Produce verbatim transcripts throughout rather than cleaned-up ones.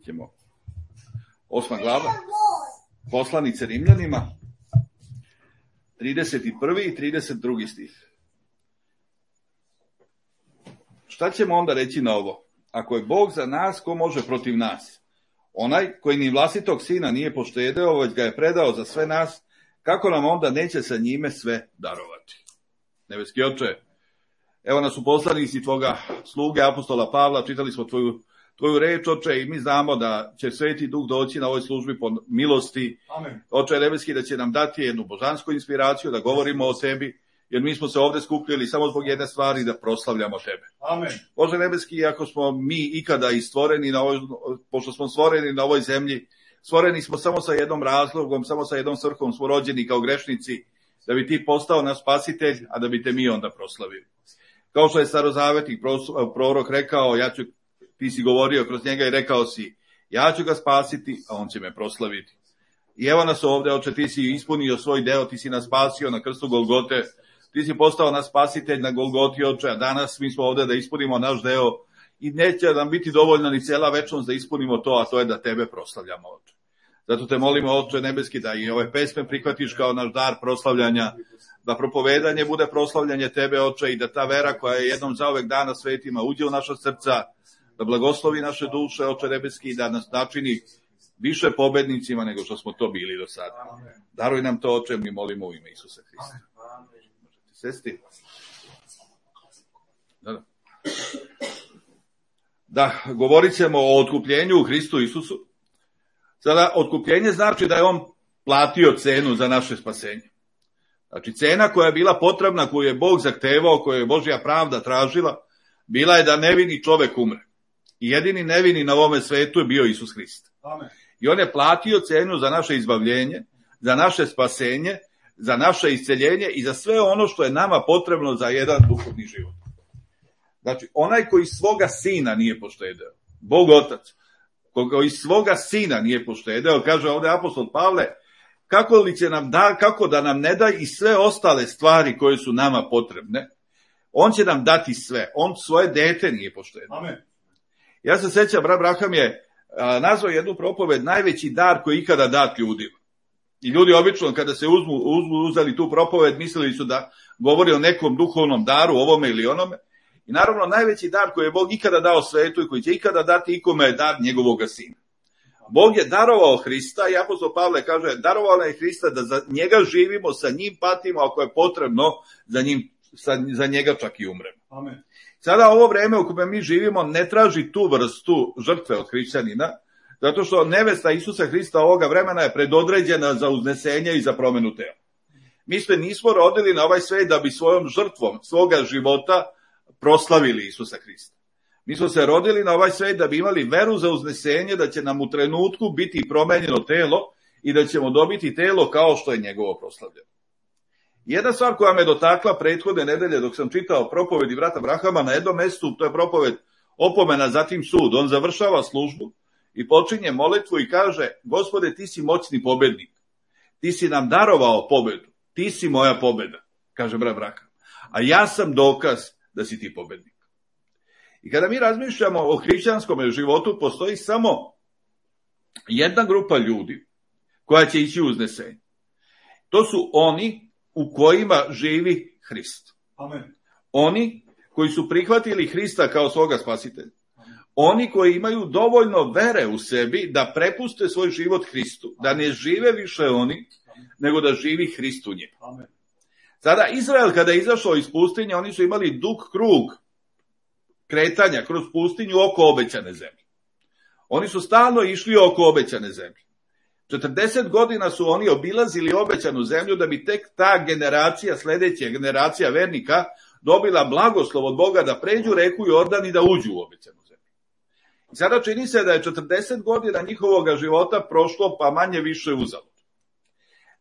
ćemo osma glava, poslanice Rimljanima, trideset prvi i trideset drugi stih. Šta ćemo onda reći na ovo? Ako je Bog za nas, ko može protiv nas? Onaj koji ni vlastitog sina nije poštedeo, već ga je predao za sve nas, kako nam onda neće sa njime sve darovati? Nebeski Oče, evo nas u poslanici tvoga sluge apostola Pavla, čitali smo tvoju, tvoju reč, Oče, i mi znamo da će Sveti Duh doći na ovoj službi po milosti. Amen. Oče nebeski, da će nam dati jednu božansku inspiraciju, da govorimo o tebi, jer mi smo se ovde skupljili samo zbog jedne stvari, da proslavljamo tebe. Amen. Bože nebeski, ako smo mi ikada i stvoreni na ovoj, pošto smo stvoreni na ovoj zemlji, stvoreni smo samo sa jednom razlogom, samo sa jednom svrhom, smo rođeni kao grešnici, da bi ti postao naš spasitelj, a da bi te mi onda proslavili. Kao što je starozavetni prorok rekao, ja ću, ti si govorio kroz njega i rekao si, ja ću ga spasiti, a on će me proslaviti. I evo nas ovde, Oče, ti si ispunio svoj deo, ti si nas spasio na krstu Golgote, ti si postao naš spasitelj na Golgoti, Oče, a danas mi smo ovde da ispunimo naš deo i neće nam biti dovoljno ni cela večnost da ispunimo to, a to je da tebe proslavljamo, Oče. Zato te molimo, Oče nebeski, da i ove pesme prihvatiš kao naš dar proslavljanja, da propovedanje bude proslavljanje tebe, Oče, i da ta vera koja je jednom zauvek dana svetima uđe u naša srca, da blagoslovi naše duše, Oče nebeski, i da nas načini više pobednicima nego što smo to bili do sada. Daruj nam to, Oče, mi molimo u ime Isusa Hrista. Možete sesti? Da, da. Da, govorit ćemo o otkupljenju u Hristu Isusu. Sada, otkupljenje znači da je on platio cenu za naše spasenje. Znači, cena koja je bila potrebna, koju je Bog zahtevao, koju je Božja pravda tražila, bila je da nevini čovek umre. I jedini nevini na ovome svetu je bio Isus Hrist. Amen. I on je platio cenu za naše izbavljenje, za naše spasenje, za naše isceljenje i za sve ono što je nama potrebno za jedan duhovni život. Znači, onaj koji svoga sina nije poštedeo, Bog Otac, koji svoga sina nije poštedeo, kaže ovde apostol Pavle, kako li će nam da, kako da nam ne da i sve ostale stvari koje su nama potrebne, on će nam dati sve, on svoje dete nije poštedeo. Amen. Ja se sećam, brat Braham je a, nazvao jednu propoved najveći dar koji ikada dat ljudima. I ljudi obično kada se uzmu, uzmu uzeli tu propoved, mislili su da govori o nekom duhovnom daru, ovome ili onome. I naravno najveći dar koji je Bog ikada dao svetu i koji će ikada dati ikome je dar njegovoga sina. Bog je darovao Hrista i apostol Pavle kaže, darovao je Hrista da za njega živimo, sa njim patimo, ako je potrebno, za, njim, za njega čak i umremo. Amen. Sada ovo vreme u kojem mi živimo ne traži tu vrstu žrtve od hrišćanina, zato što nevesta Isusa Hrista ovoga vremena je predodređena za uznesenje i za promenu tela. Mi se nismo rodili na ovaj svet da bi svojom žrtvom svoga života proslavili Isusa Hrista. Mi smo se rodili na ovaj svet da bi imali veru za uznesenje, da će nam u trenutku biti promenjeno telo i da ćemo dobiti telo kao što je njegovo proslavljeno. Jedna stvar koja me dotakla prethodne nedelje dok sam čitao propovedi brata Brahama na jednom mestu, to je propoved opomena, zatim sud. On završava službu i počinje molitvu i kaže, Gospode, ti si moćni pobednik, ti si nam darovao pobedu, ti si moja pobeda, kaže brat Braham, a ja sam dokaz da si ti pobednik. I kada mi razmišljamo o hrišćanskom životu, postoji samo jedna grupa ljudi koja će ići u uznesenje. To su oni u kojima živi Hrist. Amen. Oni koji su prihvatili Hrista kao svoga spasitelja. Oni koji imaju dovoljno vere u sebi da prepuste svoj život Hristu, da ne žive više oni, nego da živi Hrist u njemu. Amen. Sada Izrael kada je izašao iz pustinje, oni su imali dug krug kretanja kroz pustinju oko obećane zemlje. Oni su stalno išli oko obećane zemlje. četrdeset godina su oni obilazili obećanu zemlju da bi tek ta generacija, sledeća generacija vernika, dobila blagoslov od Boga da pređu reku Jordan i da uđu u obećanu zemlju. I sada čini se da je četrdeset godina njihovog života prošlo pa manje više uzalud.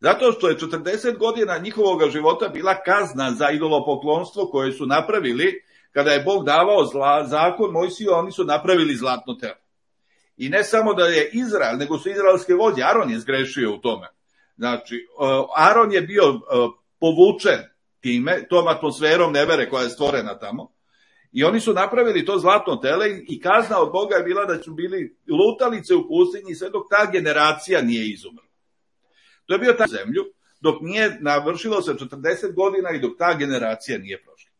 Zato što je četrdeset godina njihovog života bila kazna za idolopoklonstvo koje su napravili kada je Bog davao zla, zakon Mojsiju, oni su napravili zlatno telo. I ne samo da je Izrael, nego su izraelske vođe. Aron je zgrešio u tome. Znači, Aron je bio povučen time, tom atmosferom nevere koja je stvorena tamo. I oni su napravili to zlatno tele i kazna od Boga je bila da su bili lutalice u pustinji sve dok ta generacija nije izumrla. To je bio ta zemlju dok nije navršilo se četrdeset godina i dok ta generacija nije prošla.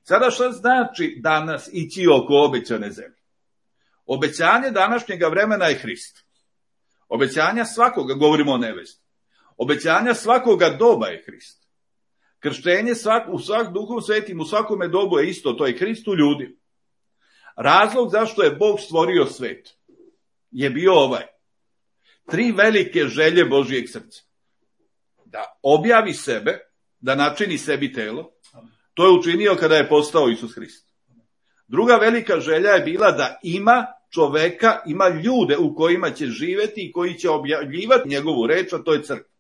Sada šta znači danas ići oko obećane zemlje? Obećanje današnjega vremena je Hrist. Obećanja svakoga, govorimo o nevesti. Obećanja svakoga doba je Hrist. Krštenje svak, u svak duhom svetim, u svakome dobu je isto, to je Hrist u ljudi. Razlog zašto je Bog stvorio svet je bio ovaj. Tri velike želje Božijeg srca. Da objavi sebe, da načini sebi telo, to je učinio kada je postao Isus Hrist. Druga velika želja je bila da ima čoveka, ima ljude u kojima će živeti i koji će objavljivati njegovu reč, a to je crkva.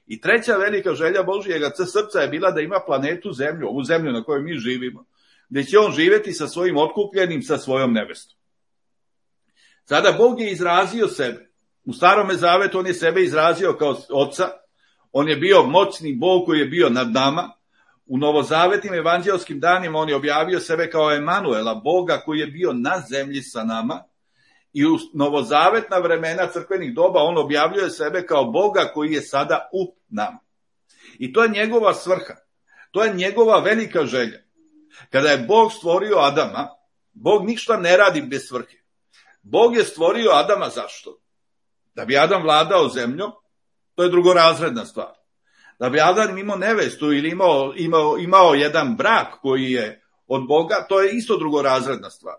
I treća velika želja Božijega srca je bila da ima planetu Zemlju, ovu zemlju na kojoj mi živimo, gdje će on živeti sa svojim otkupljenim, sa svojom nevestom. Sada Bog je izrazio sebe. U Starome Zavetu on je sebe izrazio kao Oca, on je bio moćni Bog koji je bio nad nama. U novozavetnim evanđelskim danima on je objavio sebe kao Emanuela, Boga koji je bio na zemlji sa nama. I u novozavetna vremena crkvenih doba on objavljuje sebe kao Boga koji je sada u nama. I to je njegova svrha. To je njegova velika želja. Kada je Bog stvorio Adama, Bog ništa ne radi bez svrhe. Bog je stvorio Adama zašto? Da bi Adam vladao zemljom, to je drugorazredna stvar. Da bi Adam imao nevestu ili imao, imao, imao jedan brak koji je od Boga, to je isto drugorazredna stvar.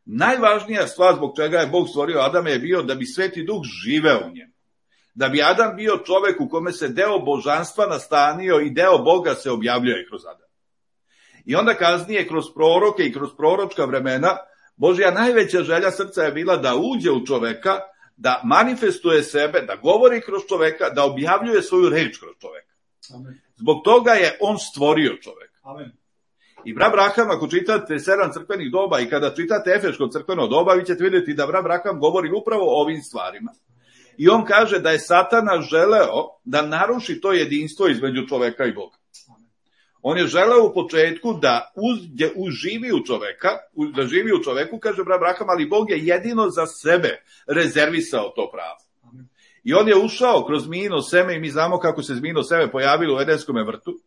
Najvažnija stvar zbog čega je Bog stvorio Adama je bio da bi Sveti Duh živeo u njemu. Da bi Adam bio čovek u kome se deo božanstva nastanio i deo Boga se objavljuje kroz Adama. I onda kasnije kroz proroke i kroz proročka vremena Božja najveća želja srca je bila da uđe u čoveka, da manifestuje sebe, da govori kroz čoveka, da objavljuje svoju reč kroz čoveka. Amen. Zbog toga je on stvorio čoveka. Amen. I brat Braham, ako čitate sedam crkvenih doba i kada čitate Efeško crkveno doba, vi ćete vidjeti da brat Braham govori upravo o ovim stvarima. I on kaže da je Satana želeo da naruši to jedinstvo između čoveka i Boga. On je želeo u početku da uzde, uživi u čoveka, da živi u čoveku, kaže brat Braham, ali Bog je jedino za sebe rezervisao to pravo. I on je ušao kroz zmijino seme i mi znamo kako se zmijino seme pojavilo u Edenskome vrtu.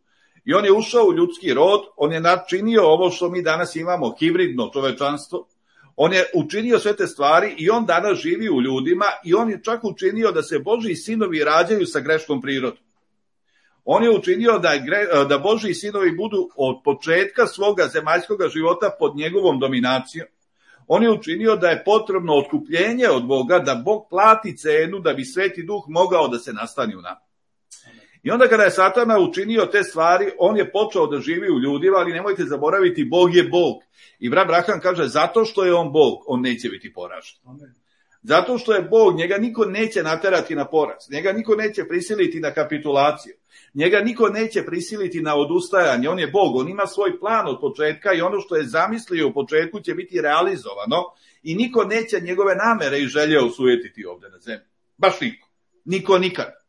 I on je ušao u ljudski rod, on je načinio ovo što mi danas imamo, hibridno čovečanstvo. On je učinio sve te stvari i on danas živi u ljudima i on je čak učinio da se Božji sinovi rađaju sa grešnom prirodom. On je učinio da, je, da Božji sinovi budu od početka svoga zemaljskoga života pod njegovom dominacijom. On je učinio da je potrebno otkupljenje od Boga, da Bog plati cenu da bi Sveti Duh mogao da se nastani u nama. I onda kada je Satana učinio te stvari, on je počeo da živi u ljudima, ali nemojte zaboraviti, Bog je Bog. I brat Braham kaže, zato što je on Bog, on neće biti poražen. Zato što je Bog, njega niko neće naterati na poraz, njega niko neće prisiliti na kapitulaciju, njega niko neće prisiliti na odustajanje, on je Bog, on ima svoj plan od početka i ono što je zamislio u početku će biti realizovano i niko neće njegove namere i želje osujetiti ovdje na zemlji. Baš niko. Niko nikad.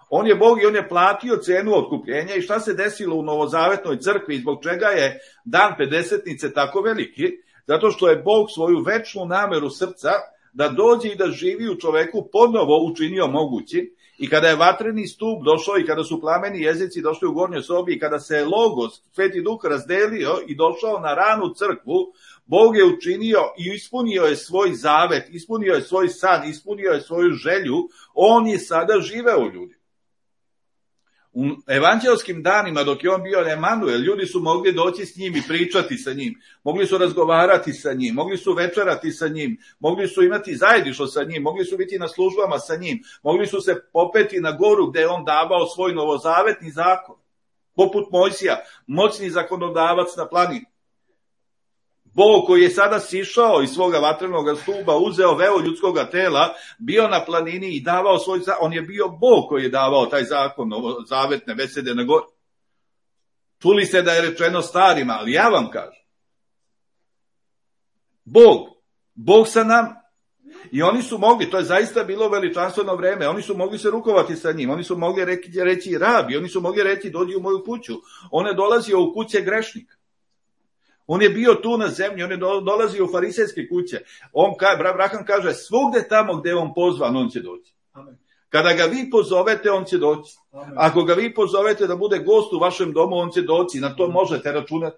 On je Bog i on je platio cenu otkupljenja i šta se desilo u novozavetnoj crkvi i zbog čega je dan pedesetnice tako veliki? Zato što je Bog svoju večnu nameru srca da dođe i da živi u čoveku ponovo učinio mogući i kada je vatreni stup došao i kada su plameni jezici došli u gornjoj sobi i kada se je Logos, Sveti Duh razdelio i došao na ranu crkvu, Bog je učinio i ispunio je svoj zavet, ispunio je svoj san, ispunio je svoju želju, on je sada živeo u ljudi. U evanđelskim danima dok je on bio Emanuel, ljudi su mogli doći s njim i pričati sa njim, mogli su razgovarati sa njim, mogli su večerati sa njim, mogli su imati zajedništvo sa njim, mogli su biti na službama sa njim, mogli su se popeti na goru gdje je on davao svoj novozavetni zakon, poput Mojsija, moćni zakonodavac na planini. Bog koji je sada sišao iz svoga vatrenog stuba, uzeo veo ljudskog tela, bio na planini i davao svoj zakon. On je bio Bog koji je davao taj zakon, zavetne besede na gori. Čuli se da je rečeno starima, ali ja vam kažem. Bog, Bog sa nam. I oni su mogli, to je zaista bilo veličanstveno vreme, oni su mogli se rukovati sa njim, oni su mogli reći, reći rabi, oni su mogli reći dođi u moju kuću. On je dolazio u kuće grešnika. On je bio tu na zemlji, on je dolazio u farisejske kuće. On, Abraham kaže, svugde tamo gde je on pozvan, on će doći. Amen. Kada ga vi pozovete, on će doći. Amen. Ako ga vi pozovete da bude gost u vašem domu, on će doći. Na to možete računati.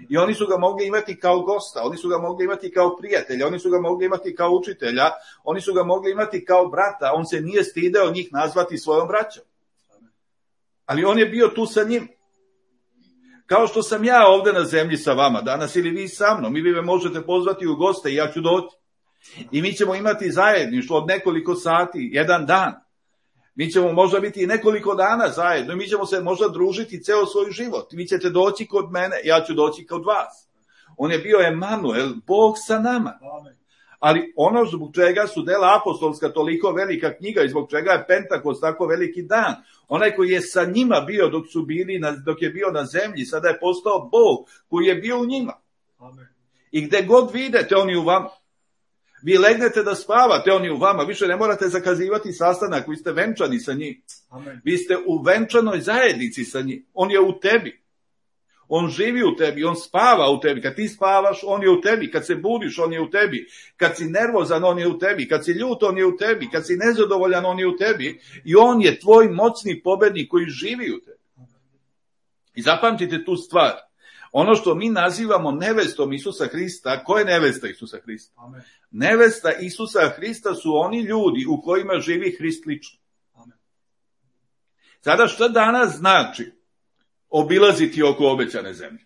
I oni su ga mogli imati kao gosta, oni su ga mogli imati kao prijatelja, oni su ga mogli imati kao učitelja, oni su ga mogli imati kao brata. On se nije stideo njih nazvati svojom braćom. Ali on je bio tu sa njim. Kao što sam ja ovde na zemlji sa vama danas ili vi sa mnom, i vi me možete pozvati u goste i ja ću doći. I mi ćemo imati zajedništvo od nekoliko sati, jedan dan. Mi ćemo možda biti i nekoliko dana zajedno i mi ćemo se možda družiti ceo svoj život. Vi ćete doći kod mene, ja ću doći kod vas. On je bio Emanuel, Bog sa nama. Ali ono zbog čega su dela apostolska toliko velika knjiga i zbog čega je Pentakost tako veliki dan, onaj koji je sa njima bio dok su bili, na, dok je bio na zemlji, sada je postao Bog koji je bio u njima. Amen. I gde god vidite, on je u vama. Vi legnete da spavate, on je u vama. Više ne morate zakazivati sastanak, vi ste venčani sa njim. Amen. Vi ste u venčanoj zajednici sa njim. On je u tebi. On živi u tebi, on spava u tebi. Kad ti spavaš, on je u tebi. Kad se budiš, on je u tebi. Kad si nervozan, on je u tebi. Kad si ljut, on je u tebi. Kad si nezadovoljan, on je u tebi. I on je tvoj moćni pobednik koji živi u tebi. I zapamtite tu stvar. Ono što mi nazivamo nevestom Isusa Hrista, ko je nevesta Isusa Hrista? Amen. Nevesta Isusa Hrista su oni ljudi u kojima živi Hrist lično. Amen. Sada šta danas znači obilaziti oko obećane zemlje?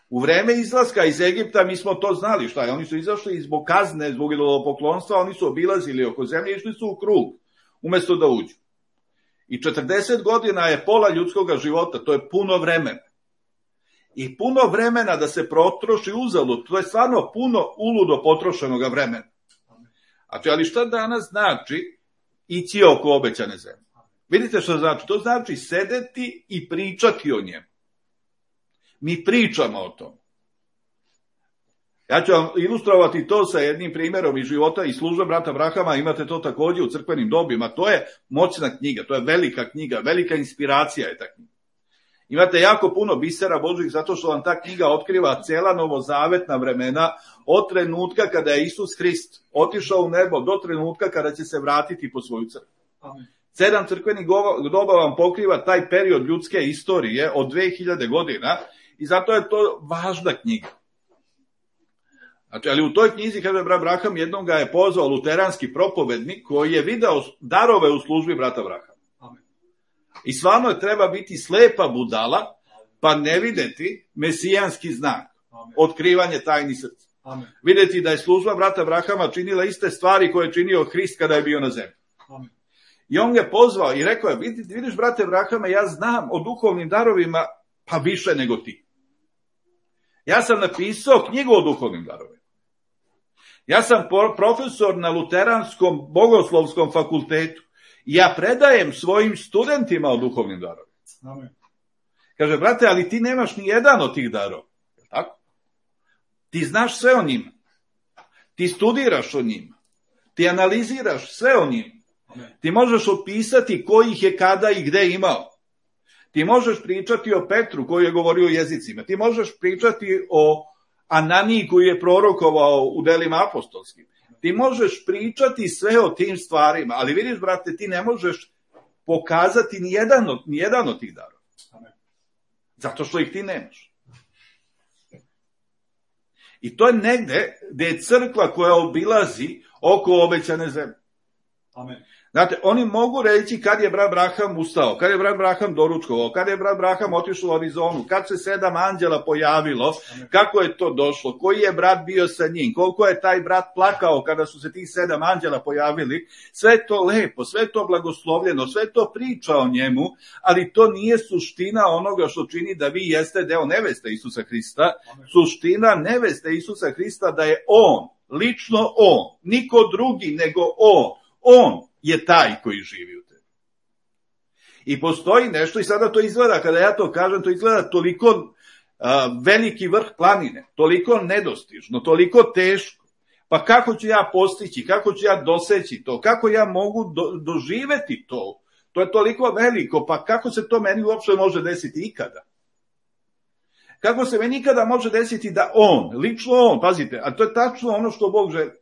U vreme izlaska iz Egipta mi smo to znali, šta je? Oni su izašli zbog kazne, zbog idolopoklonstva, oni su obilazili oko zemlje i išli su u krug, umesto da uđu. I četrdeset godina je pola ljudskog života, to je puno vremena. I puno vremena da se protroši uzalud, to je stvarno puno uludo potrošenog vremena. Znači, ali šta danas znači ići oko obećane zemlje? Vidite što znači? To znači sedeti i pričati o njemu. Mi pričamo o tom. Ja ću vam ilustrovati to sa jednim primjerom iz života i službe brata Abrahama, imate to takođe u crkvenim dobima. To je moćna knjiga, to je velika knjiga, velika inspiracija je ta knjiga. Imate jako puno bisera Božih zato što vam ta knjiga otkriva cela novozavetna vremena od trenutka kada je Isus Hrist otišao u nebo do trenutka kada će se vratiti po svoju crkvu. Amen. Sedam crkvenih doba vam pokriva taj period ljudske istorije od dve hiljade godina i zato je to važna knjiga. Znači, ali u toj knjizi, kaže brat Abraham, jednom ga je pozvao luteranski propovednik koji je video darove u službi brata Abrahama. I stvarno je treba biti slepa budala, pa ne videti mesijanski znak, amen, otkrivanje tajni srca. Amen. Videti da je služba brata Abrahama činila iste stvari koje je činio Hrist kada je bio na zemlji. Amen. I on je pozvao i rekao je, vidiš brate Abrahama, ja znam o duhovnim darovima pa više nego ti. Ja sam napisao knjigu o duhovnim darovima. Ja sam profesor na Luteranskom bogoslovskom fakultetu. Ja predajem svojim studentima o duhovnim darovima. Amen. Kaže, brate, ali ti nemaš ni jedan od tih darova. Tako? Ti znaš sve o njima. Ti studiraš o njima. Ti analiziraš sve o njima. Amen. Ti možeš opisati ko ih je kada i gde imao. Ti možeš pričati o Petru koji je govorio o jezicima. Ti možeš pričati o Ananiji koji je prorokovao u delima apostolskim. Ti možeš pričati sve o tim stvarima, ali vidiš, brate, ti ne možeš pokazati ni jedan od, ni jedan od tih darova. Zato što ih ti nemaš. I to je negde gde je crkva koja obilazi oko obećane zemlje. Amen. Znate, oni mogu reći kad je brat Abraham ustao, kad je brat Abraham doručkovao, kad je brat Abraham otišao u Arizonu, kad se sedam anđela pojavilo, kako je to došlo, koji je brat bio sa njim, koliko je taj brat plakao kada su se tih sedam anđela pojavili, sve to lepo, sve to blagoslovljeno, sve to priča o njemu, ali to nije suština onoga što čini da vi jeste deo neveste Isusa Hrista. Suština neveste Isusa Hrista da je on, lično on, niko drugi nego on, on je taj koji živi u tebi. I postoji nešto, i sada to izgleda, kada ja to kažem, to izgleda toliko a, veliki vrh planine, toliko nedostižno, toliko teško. Pa kako ću ja postići, kako ću ja doseći to, kako ja mogu do, doživeti to? To je toliko veliko, pa kako se to meni uopšte može desiti ikada? Kako se mi nikada može desiti da on, lično on, pazite, a to je tačno ono što Bog želi.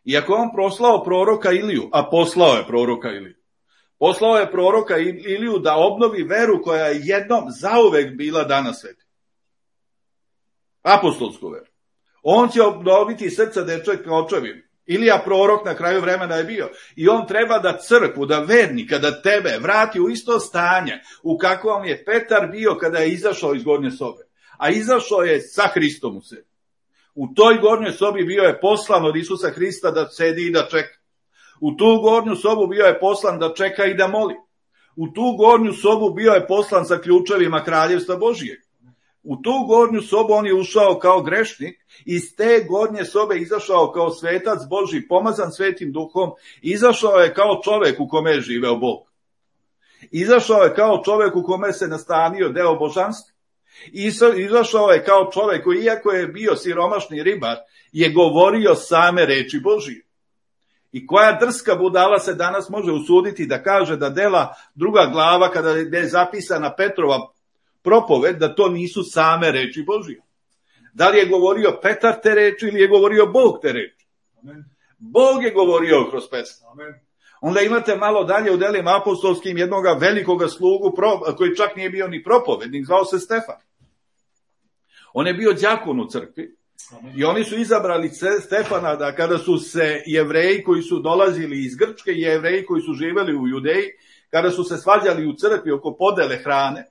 Iako on proslao proroka Iliju, a poslao je proroka Iliju, poslao je proroka Iliju da obnovi veru koja je jednom zauvek bila dana sveti. Apostolsku veru. On će obnoviti srca dečaka očevim. Ilija prorok na kraju vremena je bio. I on treba da crkvu, da vernika, da tebe vrati u isto stanje u kakvom je Petar bio kada je izašao iz gornje sobe. A izašao je sa Hristom u sebi. U toj gornjoj sobi bio je poslan od Isusa Hrista da sedi i da čeka. U tu gornju sobu bio je poslan da čeka i da moli. U tu gornju sobu bio je poslan sa ključevima kraljevstva Božijeg. U tu gornju sobu on je ušao kao grešnik, iz te gornje sobe izašao kao svetac Božji, pomazan Svetim Duhom, izašao je kao čovek u kome je živeo Bog. Izašao je kao čovek u kome se nastanio deo božanstva. Izašao je kao čovek koji, iako je bio siromašni ribar, je govorio same reči Božije. I koja drska budala se danas može usuditi da kaže da dela druga glava, kada je zapisana Petrova propoved, da to nisu same reči Božije. Da li je govorio Petar te reči ili je govorio Bog te reči? Amen. Bog je govorio kroz pesmu. Amen. Onda imate malo dalje u delima apostolskim jednoga velikoga slugu koji čak nije bio ni propovednik, zvao se Stefan. On je bio đakon u crkvi. Amen. I oni su izabrali Stefana da kada su se Jevreji koji su dolazili iz Grčke i Jevreji koji su živeli u Judeji, kada su se svađali u crkvi oko podele hrane,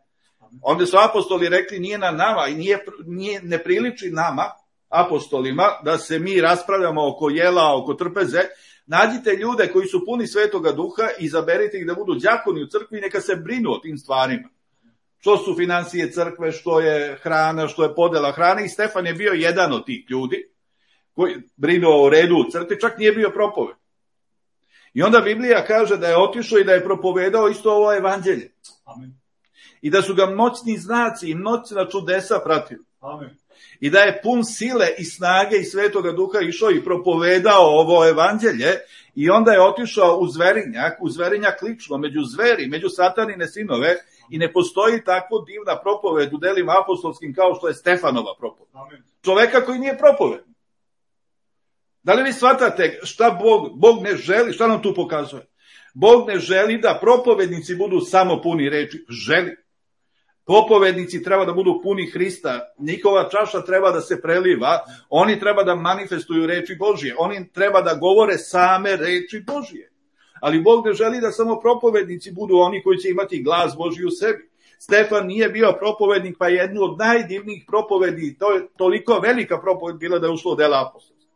onda su apostoli rekli nije na nama i nije, nije, ne priliči nama, apostolima, da se mi raspravljamo oko jela, oko trpeze. Nađite ljude koji su puni Svetoga Duha i izaberite ih da budu đakoni u crkvi i neka se brinu o tim stvarima. Što su financije crkve, što je hrana, što je podela hrane. I Stefan je bio jedan od tih ljudi koji brinuo o redu u crkvi, čak nije bio propoved. I onda Biblija kaže da je otišao i da je propovedao isto ovo evanđelje. Amen. I da su ga moćni znaci i moćna čudesa pratili. Amen. I da je pun sile i snage i Svetoga Duha išao i propovedao ovo evanđelje i onda je otišao u zverinjak, u zverinjak lično, među zveri, među satanine sinove i ne postoji takvo divna propoved u delima apostolskim kao što je Stefanova propoved. Amen. Čoveka koji nije propovednik. Da li vi shvatate šta Bog, Bog ne želi, šta nam tu pokazuje? Bog ne želi da propovednici budu samo puni reči, želi. Propovednici treba da budu puni Hrista, njihova čaša treba da se preliva, oni treba da manifestuju reči Božije, oni treba da govore same reči Božije. Ali Bog ne želi da samo propovednici budu oni koji će imati glas Božji u sebi. Stefan nije bio propovednik, pa jednu od najdivnijih propovedi, to je toliko velika propoved bila da je ušlo u dela apostolska.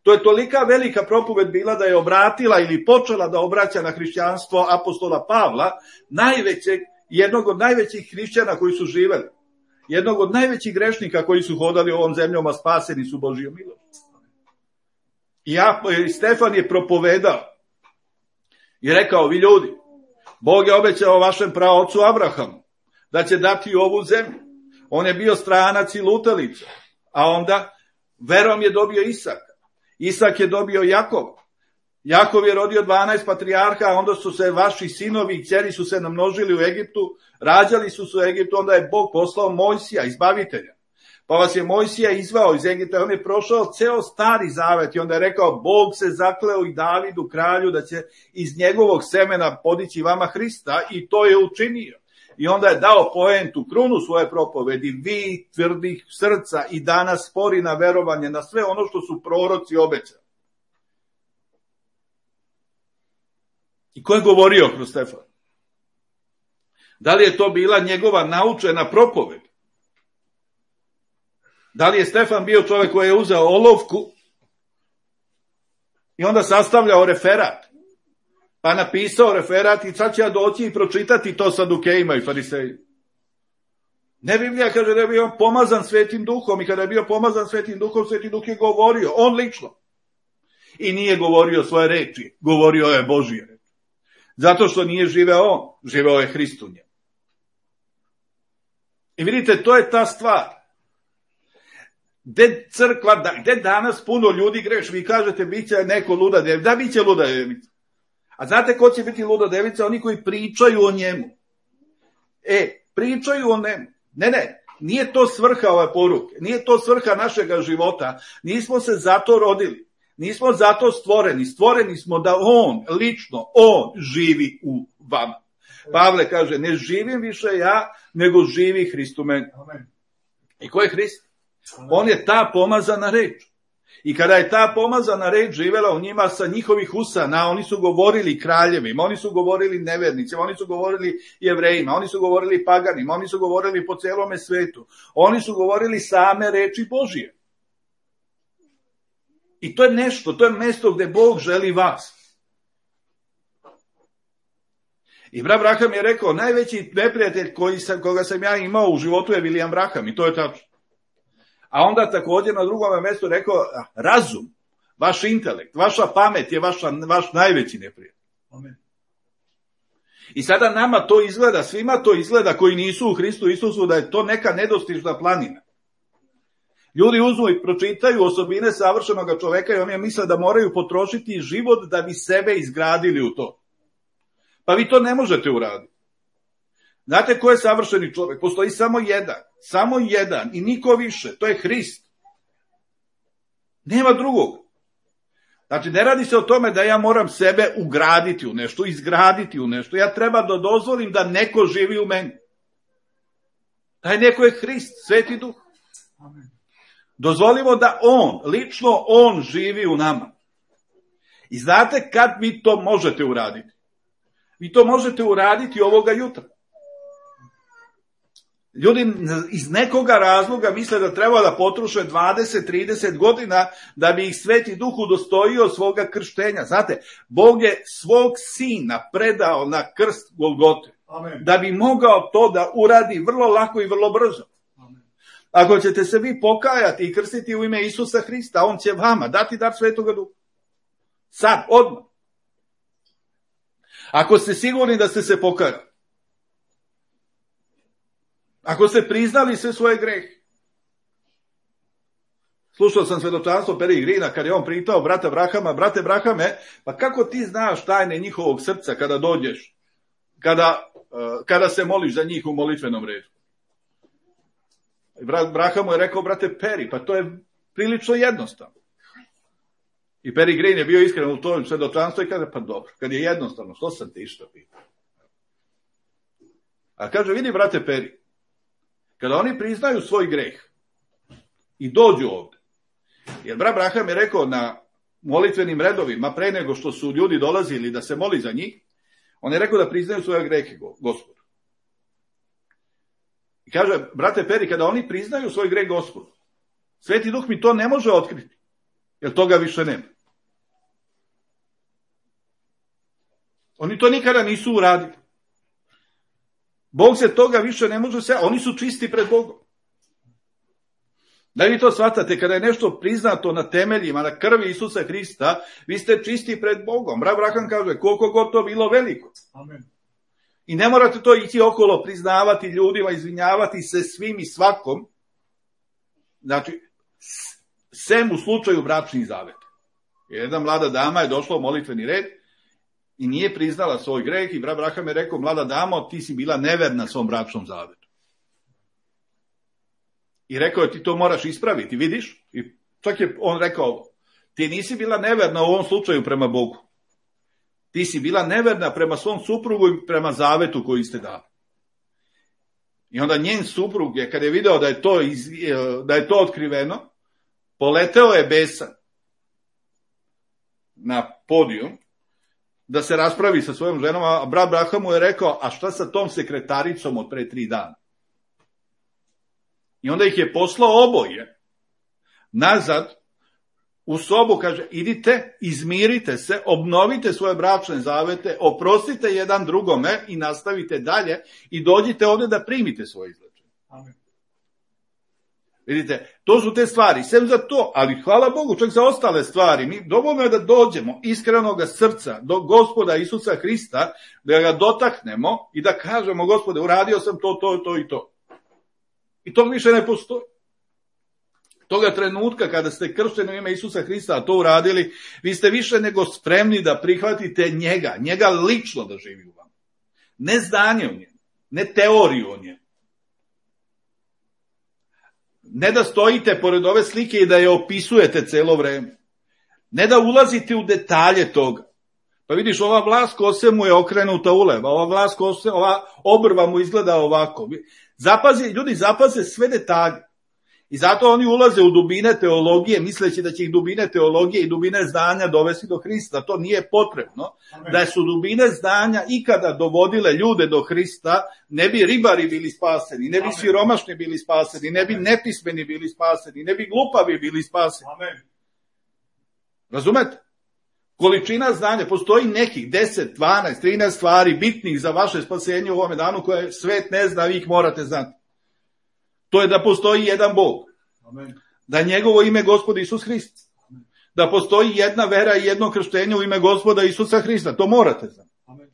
To je tolika velika propoved bila da je obratila ili počela da obraća na hrišćanstvo apostola Pavla, najvećeg, jednog od najvećih hrišćana koji su živeli, jednog od najvećih grešnika koji su hodali ovom zemljom, a spaseni su Božijom milošću. I ja, Stefan je propovedao i rekao, vi ljudi, Bog je obećao vašem praocu Abrahamu da će dati ovu zemlju. On je bio stranac i lutalica, a onda verom je dobio Isaka. Isak je dobio Jakova. Jakov je rodio dvanaest patrijarha, a onda su se vaši sinovi i kćeri su se namnožili u Egiptu, rađali su se u Egiptu, onda je Bog poslao Mojsija, izbavitelja. Pa vas je Mojsija izvao iz Egipta, on je prošao ceo Stari Zavet i onda je rekao, Bog se zakleo i Davidu kralju da će iz njegovog semena podići vama Hrista i to je učinio. I onda je dao poentu, krunu svoje propovedi, vi tvrdih srca i danas spori na verovanje na sve ono što su proroci obećali. I ko je govorio kroz Stefana? Da li je to bila njegova naučena propoved? Da li je Stefan bio čovjek koji je uzeo olovku i onda sastavljao referat? Pa napisao referat i sad će ja doći i pročitati to Sadukejima i Farisejima. Ne, Biblija kaže da je bio pomazan Svetim Duhom i kada je bio pomazan Svetim Duhom, Sveti Duh je govorio, on lično. I nije govorio svoje reči, govorio je Božije reči. Zato što nije živeo on, živeo je Hrist u njemu. I vidite, to je ta stvar. Gde crkva, gde danas puno ljudi greš, vi kažete, bit će neko luda devica, da, bit će luda devica. A znate ko će biti luda devica? Oni koji pričaju o njemu. E, pričaju o njemu. Ne, ne, nije to svrha ove poruke, nije to svrha našega života, nismo se zato rodili, nismo zato stvoreni, stvoreni smo da on, lično, on živi u vama. Pavle kaže, ne živim više ja, nego živi Hrist u meni. I ko je Hrist? On je ta pomazana reč. I kada je ta pomazana reč živela u njima sa njihovih usana, oni su govorili kraljevima, oni su govorili nevernicima, oni su govorili Jevrejima, oni su govorili paganima, oni su govorili po celome svetu. Oni su govorili same reči Božije. I to je nešto, to je mesto gde Bog želi vas. I brat Braham je rekao, najveći neprijatelj koji sam, koga sam ja imao u životu je William Braham, i to je tačno. A onda također na drugom mjestu rekao, razum, vaš intelekt, vaša pamet je vaša, vaš najveći neprijatelj. Amen. I sada nama to izgleda, svima to izgleda koji nisu u Hristu Isusu, da je to neka nedostižna planina. Ljudi uzmu i pročitaju osobine savršenog čoveka i oni misle da moraju potrošiti život da bi sebe izgradili u to. Pa vi to ne možete uraditi. Znate ko je savršeni čovjek? Postoji samo jedan. Samo jedan i niko više. To je Hrist. Nema drugog. Znači, ne radi se o tome da ja moram sebe ugraditi u nešto, izgraditi u nešto. Ja treba da dozvolim da neko živi u meni. Taj neko je Hrist, Sveti Duh. Dozvolimo da on, lično on živi u nama. I znate kad vi to možete uraditi? Vi to možete uraditi ovoga jutra. Ljudi iz nekoga razloga misle da treba da potroše dvadeset trideset godina da bi ih Sveti Duh udostojio svoga krštenja. Znate, Bog je svog sina predao na krst Golgote. Amen. Da bi mogao to da uradi vrlo lako i vrlo brzo. Amen. Ako ćete se vi pokajati i krstiti u ime Isusa Hrista, on će vama dati dar Svetoga Duha. Sad, odmah. Ako ste sigurni da ste se pokajali, ako ste priznali sve svoje grehe. Slušao sam svedočanstvo Peri Grina kad je on pitao brata Brahama, brate Brahame, pa kako ti znaš tajne njihovog srca kada dođeš, kada, kada se moliš za njih u molitvenom redu? I brat Braham mu je rekao, brate Peri, pa to je prilično jednostavno. I Peri Green je bio iskren u tom svedočanstvu i kaže, pa dobro, kad je jednostavno, što sam ti išta pitao? A kaže, vidi brate Peri, kada oni priznaju svoj greh i dođu ovde, jer brat Braham je rekao na molitvenim redovima, pre nego što su ljudi dolazili da se moli za njih, on je rekao da priznaju svoje grehe Gospodu. I kaže, brate Peri, kada oni priznaju svoj greh Gospodu, Sveti Duh mi to ne može otkriti, jer toga više nema. Oni to nikada nisu uradili. Bog se toga više ne može se, oni su čisti pred Bogom. Da vi to shvatate, kada je nešto priznato na temeljima, na krvi Isusa Hrista, vi ste čisti pred Bogom. Brat Braham kaže, koliko god to bilo veliko. Amen. I ne morate to ići okolo, priznavati ljudima, izvinjavati se svim i svakom. Znači, sem u slučaju bračnih zaveta. Jedna mlada dama je došla u molitveni red i nije priznala svoj greh i brat Braham je rekao, mlada damo, ti si bila neverna svom bračnom zavetu. I rekao je, ti to moraš ispraviti, vidiš? I čak je on rekao, ti nisi bila neverna u ovom slučaju prema Bogu. Ti si bila neverna prema svom suprugu i prema zavetu koji ste dali. I onda njen suprug je, kad je video da je to, iz, da je to otkriveno, poleteo je besan na podijum da se raspravi sa svojom ženom, a brat Braham mu je rekao, a šta sa tom sekretaricom od pre tri dana? I onda ih je poslao oboje nazad u sobu, kaže, idite, izmirite se, obnovite svoje bračne zavete, oprostite jedan drugome i nastavite dalje i dođite ovdje da primite svoje izlečenje. Amen. Vidite, to su te stvari, sem za to, ali hvala Bogu, čak za ostale stvari, mi dovoljno je da dođemo iskrenoga srca do Gospoda Isusa Hrista, da ga dotaknemo i da kažemo, Gospode, uradio sam to, to, to i to. I to više ne postoji. Toga trenutka kada ste kršteni u ime Isusa Hrista, a to uradili, vi ste više nego spremni da prihvatite njega, njega lično da živi u vama. Ne znanje o njemu, ne teoriju o njemu, Ne da stojite pored ove slike i da je opisujete celo vreme. Ne da ulazite u detalje toga. Pa vidiš, ova vlas kose mu je okrenuta ulevo, ova vlas kose, ova obrva mu izgleda ovako. Zapazi, ljudi zapaze sve detalje. I zato oni ulaze u dubine teologije, misleći da će ih dubine teologije i dubine znanja dovesti do Hrista. To nije potrebno. Amen. Da su dubine znanja ikada dovodile ljude do Hrista, ne bi ribari bili spaseni, ne bi Amen. Siromašni bili spaseni, ne bi Amen. Nepismeni bili spaseni, ne bi glupavi bili spaseni. Amen. Razumete? Količina znanja, postoji nekih deset, dvanaest, trinaest stvari bitnih za vaše spasenje u ovome danu koje svet ne zna, vi ih morate znati. To je da postoji jedan Bog. Amen. Da je njegovo ime Gospod Isus Hrist. Amen. Da postoji jedna vera i jedno krštenje u ime Gospoda Isusa Hrista. To morate znati. Amen.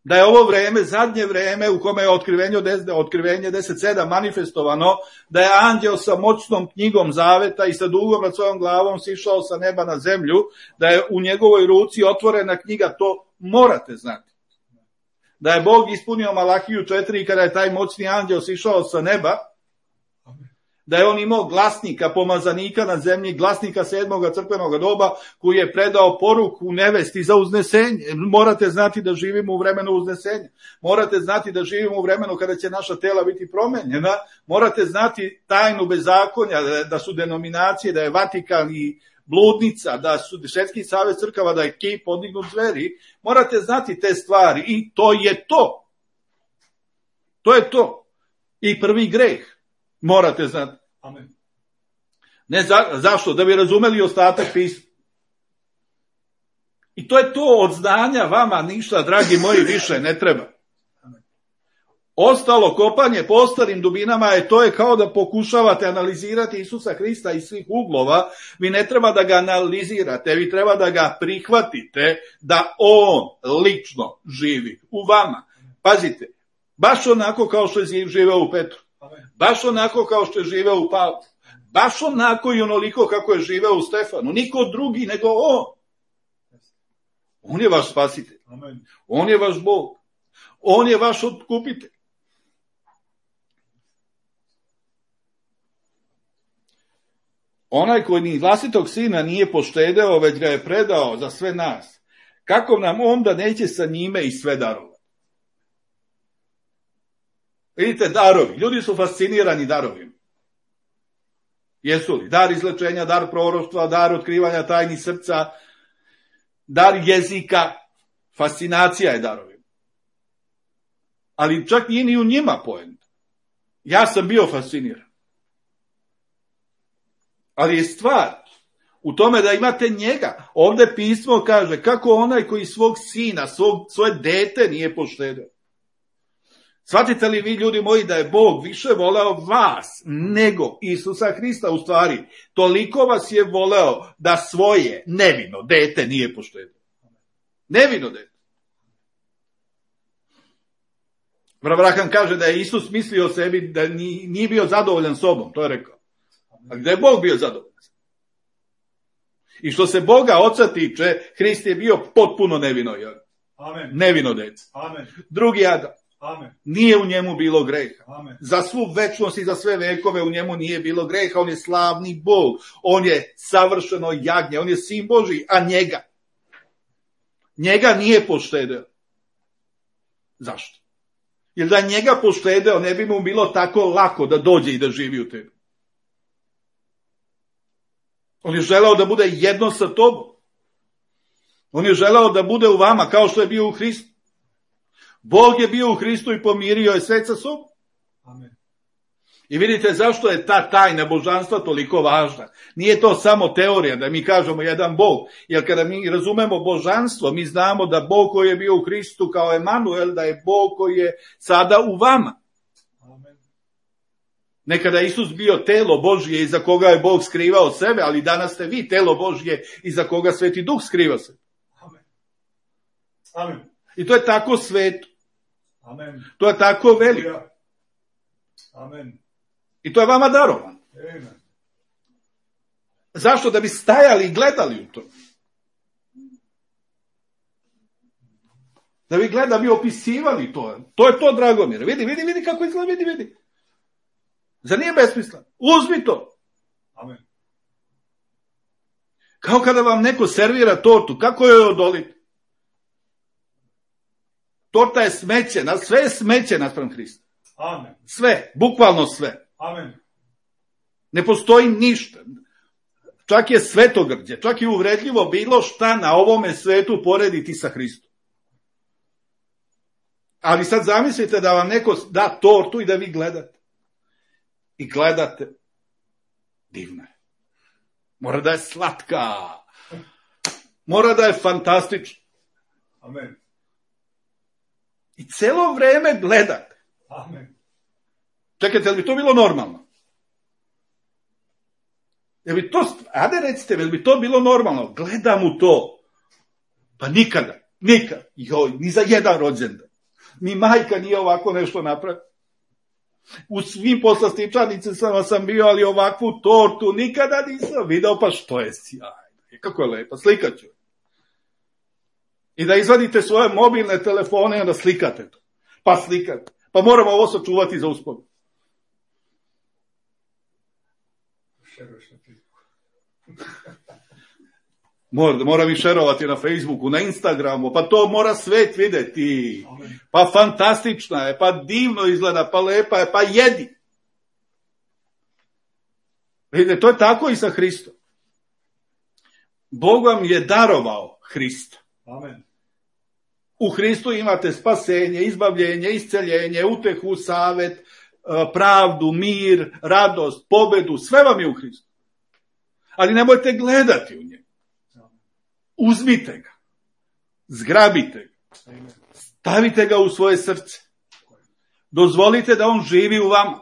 Da je ovo vreme, zadnje vreme u kome je otkrivenje, otkrivenje deset sedam manifestovano, da je anđeo sa moćnom knjigom zaveta i sa dugom nad svojom glavom sišao sa neba na zemlju, da je u njegovoj ruci otvorena knjiga, to morate znati. Da je Bog ispunio Malahiju četiri kada je taj moćni anđeo sišao sa neba, da je on imao glasnika, pomazanika na zemlji, glasnika sedmoga crkvenog doba, koji je predao poruku nevesti za uznesenje. Morate znati da živimo u vremenu uznesenja. Morate znati da živimo u vremenu kada će naša tela biti promenjena. Morate znati tajnu bezakonja, da su denominacije, da je Vatikan i bludnica, da su Svjetski savez crkava, da je kip podignut zveri. Morate znati te stvari i to je to. To je to. I prvi greh. Morate znati. Amen. Ne za, zašto? Da bi razumeli ostatak pisma. I to je to od znanja vama ništa, dragi moji, više ne treba. Amen. Ostalo kopanje po ostalim dubinama je to je kao da pokušavate analizirati Isusa Hrista iz svih uglova. Vi ne treba da ga analizirate, vi treba da ga prihvatite da on lično živi u vama. Pazite, baš onako kao što je živeo u Petru. Baš onako kao što je živeo u Pavlu. Baš onako i onoliko kako je živeo u Stefanu. Niko drugi nego on. On je vaš spasitelj. On je vaš Bog. On je vaš otkupitelj. Onaj koji ni vlastitog sina nije poštedeo, već ga je predao za sve nas. Kako nam onda neće sa njime i sve darovati? Vidite, darovi. Ljudi su fascinirani darovima. Jesu li? Dar izlečenja, dar proroštva, dar otkrivanja tajni srca, dar jezika. Fascinacija je darovima. Ali čak nije ni u njima poenta. Ja sam bio fasciniran. Ali je stvar u tome da imate njega. Ovde pismo kaže kako onaj koji svog sina, svog, svoje dete nije poštedeo. Shvatite li vi, ljudi moji, da je Bog više voleo vas nego Isusa Hrista? U stvari, toliko vas je voleo da svoje nevino dete nije poštedio. Nevino dete. Abraham kaže da je Isus mislio o sebi da nije bio zadovoljan sobom, to je rekao. A gde je Bog bio zadovoljan? I što se Boga oca tiče, Hrist je bio potpuno nevino, Amen. Nevino dete. Amen. Drugi Adam. Amen. Nije u njemu bilo greha. Amen. Za svu večnost i za sve vekove u njemu nije bilo greha. On je slavni Bog. On je savršeno jagnje. On je sin Božji, a njega. Njega nije poštedeo. Zašto? Jer da njega poštedeo, ne bi mu bilo tako lako da dođe i da živi u tebi. On je želeo da bude jedno sa tobom. On je želeo da bude u vama kao što je bio u Hristu. Bog je bio u Hristu i pomirio je svet sa sobom. Amen. I vidite zašto je ta tajna božanstva toliko važna. Nije to samo teorija da mi kažemo jedan Bog. Jer kada mi razumemo božanstvo, mi znamo da Bog koji je bio u Hristu kao Emanuel, da je Bog koji je sada u vama. Amen. Nekada je Isus bio telo Božje iza koga je Bog skrivao sebe, ali danas ste vi telo Božje iza koga Sveti Duh skriva sebe. Amen. Amen. I to je tako sveto. Amen. To je tako veliko. Amen. I to je vama darovano. Amen. Zašto? Da bi stajali i gledali u to. Da bi gledali, da bi opisivali to. To je to, Dragomir. Vidi, vidi, vidi kako izgleda, vidi, vidi. Zar nije besmislen? Uzmi to. Amen. Kao kada vam neko servira tortu, kako joj odoliti? Torta je smeće, sve je smeće naspram Hrista. Amen. Sve, bukvalno sve. Amen. Ne postoji ništa. Čak je svetogrđe, čak je uvredljivo bilo šta na ovome svetu porediti sa Hristom. Ali sad zamislite da vam neko da tortu i da vi gledate. I gledate. Divna je. Mora da je slatka. Mora da je fantastična. Amen. I celo vreme gledate. Amen. Čekajte, li bi to bilo normalno? Jel bi to, ajde recite, jel bi to bilo normalno? Gledam u to. Pa nikada, nikad. Joj, ni za jedan rođendan. Ni majka nije ovako nešto napravila. U svim poslastičanicama sam bio, ali ovakvu tortu nikada nisam video, pa što je sjajno. Kako je lepa, slikat ću. I da izvadite svoje mobilne telefone i onda slikate to. Pa slikate. Pa moramo ovo sačuvati za uspomenu. Mora, mora mi šerovati na Facebooku, na Instagramu, pa to mora svet videti. Pa fantastična je, pa divno izgleda, pa lepa je, pa jedi. Vidite, to je tako i sa Hristom. Bog vam je darovao Hrista. Amen. U Hristu imate spasenje, izbavljenje, isceljenje, utehu, savet, pravdu, mir, radost, pobedu, sve vam je u Hristu. Ali nemojte gledati u njega. Uzmite ga. Zgrabite ga. Stavite ga u svoje srce. Dozvolite da on živi u vama.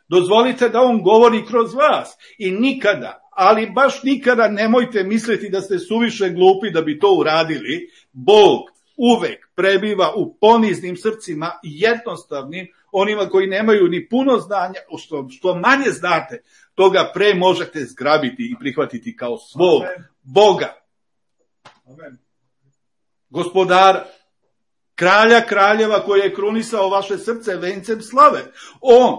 Dozvolite da on govori kroz vas. I nikada, ali baš nikada nemojte misliti da ste suviše glupi da bi to uradili. Bog uvek prebiva u poniznim srcima i jednostavnim, onima koji nemaju ni puno znanja, što, što manje znate, toga pre možete zgrabiti i prihvatiti kao svog Amen. Boga. Amen. Gospodara, kralja kraljeva koji je krunisao vaše srce vencem slave. On,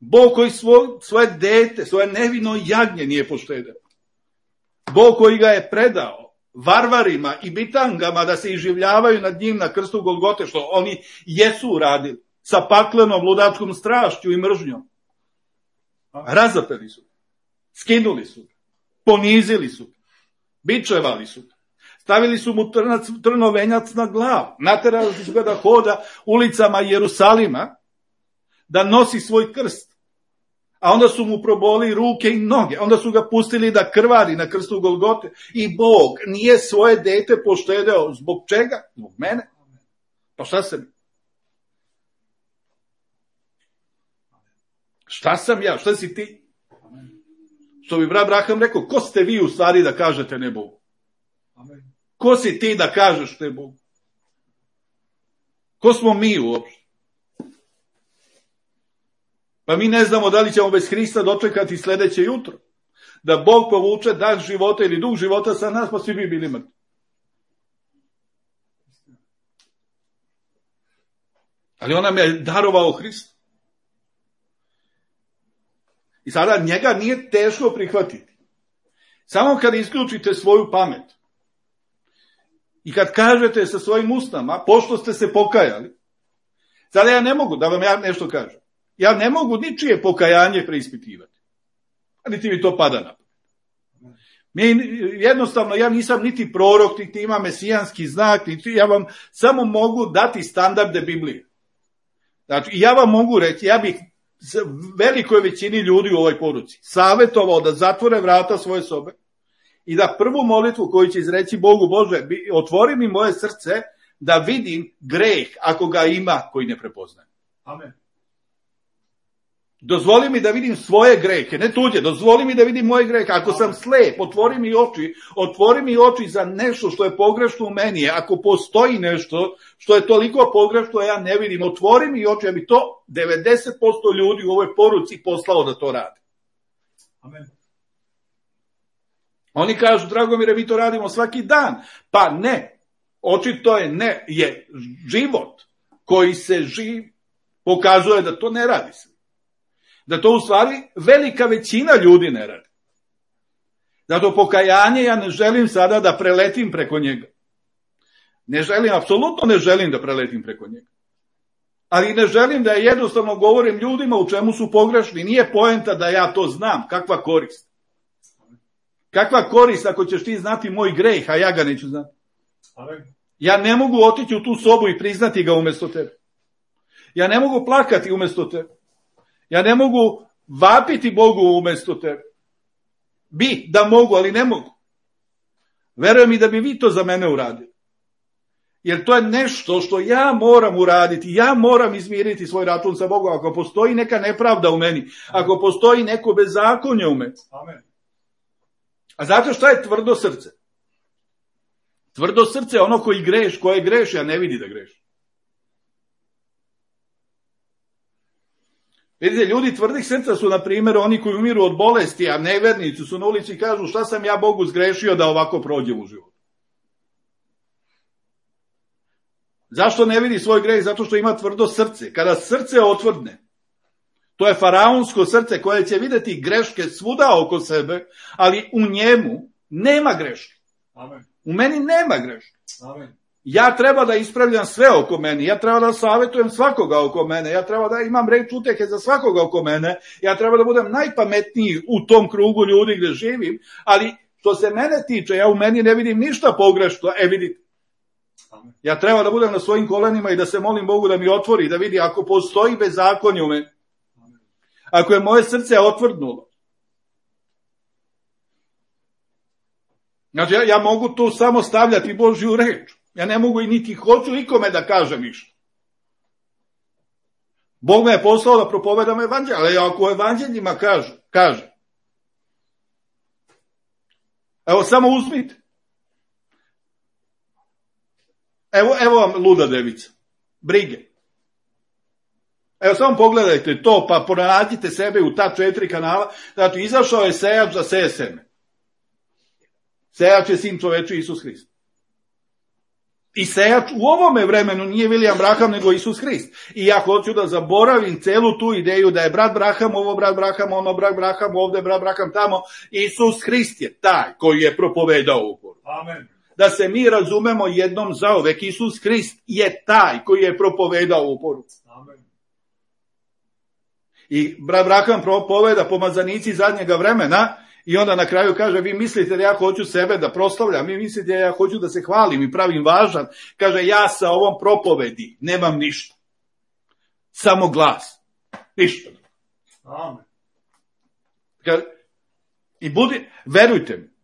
Bog koji svo, svoje dete, svoje nevino jagnje nije poštedeo. Bog koji ga je predao varvarima i bitangama da se iživljavaju nad njim na krstu Golgote, što oni jesu uradili, sa paklenom ludačkom strašću i mržnjom. Razapeli su, skinuli su, ponizili su, bičevali su, stavili su mu trnac, trnovenjac na glavu, naterali su ga da hoda ulicama Jerusalima, da nosi svoj krst. A onda su mu proboli ruke i noge, onda su ga pustili da krvari na krstu Golgote. I Bog nije svoje dete poštedeo. Zbog čega? Zbog mene. Pa šta sam? Šta sam ja? Šta si ti? Što bi brat Braham rekao, ko ste vi u stvari da kažete ne Bogu? Ko si ti da kažeš ne Bogu? Ko smo mi uopšte? Pa mi ne znamo da li ćemo bez Hrista dočekati sljedeće jutro. Da Bog povuče dah života ili duh života sa nas, pa svi bi bili mrtvi. Ali on nam je darovao Hrista. I sada njega nije teško prihvatiti. Samo kad isključite svoju pamet i kad kažete sa svojim usnama, pošto ste se pokajali, sada ja ne mogu da vam ja nešto kažem. Ja ne mogu ničije pokajanje preispitivati. A niti mi to pada na pamet. Mi, jednostavno, ja nisam niti prorok, niti imam mesijanski znak, niti ja vam samo mogu dati standarde Biblije. Znači, ja vam mogu reći, ja bih velikoj većini ljudi u ovoj poruci savjetovao da zatvore vrata svoje sobe i da prvu molitvu koju će izreći Bogu, Bože, otvori mi moje srce da vidim greh, ako ga ima, koji ne prepoznajem. Amen. Dozvoli mi da vidim svoje grehe, ne tuđe, dozvoli mi da vidim moje grehe. Ako sam slep, otvori mi oči, otvori mi oči za nešto što je pogrešno u meni. Ako postoji nešto što je toliko pogrešno, ja ne vidim, otvori mi oči, ja bi to devedeset posto ljudi u ovoj poruci poslao da to radi. Amen. Oni kažu, Dragomire, mi to radimo svaki dan. Pa ne, očito je ne, je život koji se živ, pokazuje da to ne radi se. Da to u stvari velika većina ljudi ne radi. Zato pokajanje ja ne želim sada da preletim preko njega. Ne želim, apsolutno ne želim da preletim preko njega. Ali ne želim da jednostavno govorim ljudima u čemu su pogrešni. Nije poenta da ja to znam. Kakva korist? Kakva korist ako ćeš ti znati moj greh, a ja ga neću znati? Ja ne mogu otići u tu sobu i priznati ga umjesto tebe. Ja ne mogu plakati umjesto tebe. Ja ne mogu vapiti Bogu umjesto tebe. Bi, da mogu, ali ne mogu. Verujem i da bi vi to za mene uradili. Jer to je nešto što ja moram uraditi. Ja moram izmiriti svoj račun sa Bogom. Ako postoji neka nepravda u meni, ako postoji neko bezakonje u meni. Amen. A znate šta je tvrdo srce? Tvrdo srce je ono koji greš, koje greši, a ne vidi da greši. Vidite, ljudi tvrdih srca su, na primjer, oni koji umiru od bolesti, a nevernici su na ulici i kažu šta sam ja Bogu zgrešio da ovako prođem u životu. Zašto ne vidi svoj greh? Zato što ima tvrdo srce. Kada srce otvrdne, to je faraonsko srce koje će vidjeti greške svuda oko sebe, ali u njemu nema greške. Amen. U meni nema greške. Amen. Ja treba da ispravljam sve oko mene, ja treba da savjetujem svakoga oko mene, ja treba da imam reč utjehe za svakoga oko mene, ja treba da budem najpametniji u tom krugu ljudi gdje živim, ali što se mene tiče, ja u meni ne vidim ništa pogrešno, e vidite. Ja treba da budem na svojim kolenima i da se molim Bogu da mi otvori, da vidi ako postoji bezakonje u meni. Ako je moje srce otvrdnulo. Znači, ja, ja mogu tu samo stavljati Božju reč. Ja ne mogu i niti hoću ikome da kažem ništa. Bog me je poslao da propovedam evanđelje, ali ako evanđeljima kaže, kaže. Evo, samo uzmite. Evo, evo vam luda devica. Brige. Evo, samo pogledajte to, pa pronađite sebe u ta četiri kanala. Znači, izašao je sejač da seje seme. Sejač je sin čoveči Isus Hrist. I sejač u ovome vremenu nije William Branham, nego Isus Hrist. I ja hoću da zaboravim celu tu ideju da je brat Branham, ovo brat Branham, ono brat Branham, ovde brat Branham, tamo. Isus Hrist je taj koji je propovedao u poruku. Amen. Da se mi razumemo jednom zauvek, Isus Hrist je taj koji je propovedao u poruku. Amen. I brat Branham propoveda pomazanici zadnjega vremena i onda na kraju kaže, vi mislite da ja hoću sebe da proslavljam, vi mislite da ja hoću da se hvalim i pravim važan. Kaže, ja sa ovom propovedi nemam ništa. Samo glas. Ništa. Amen. Kaže, i budi, verujte mi,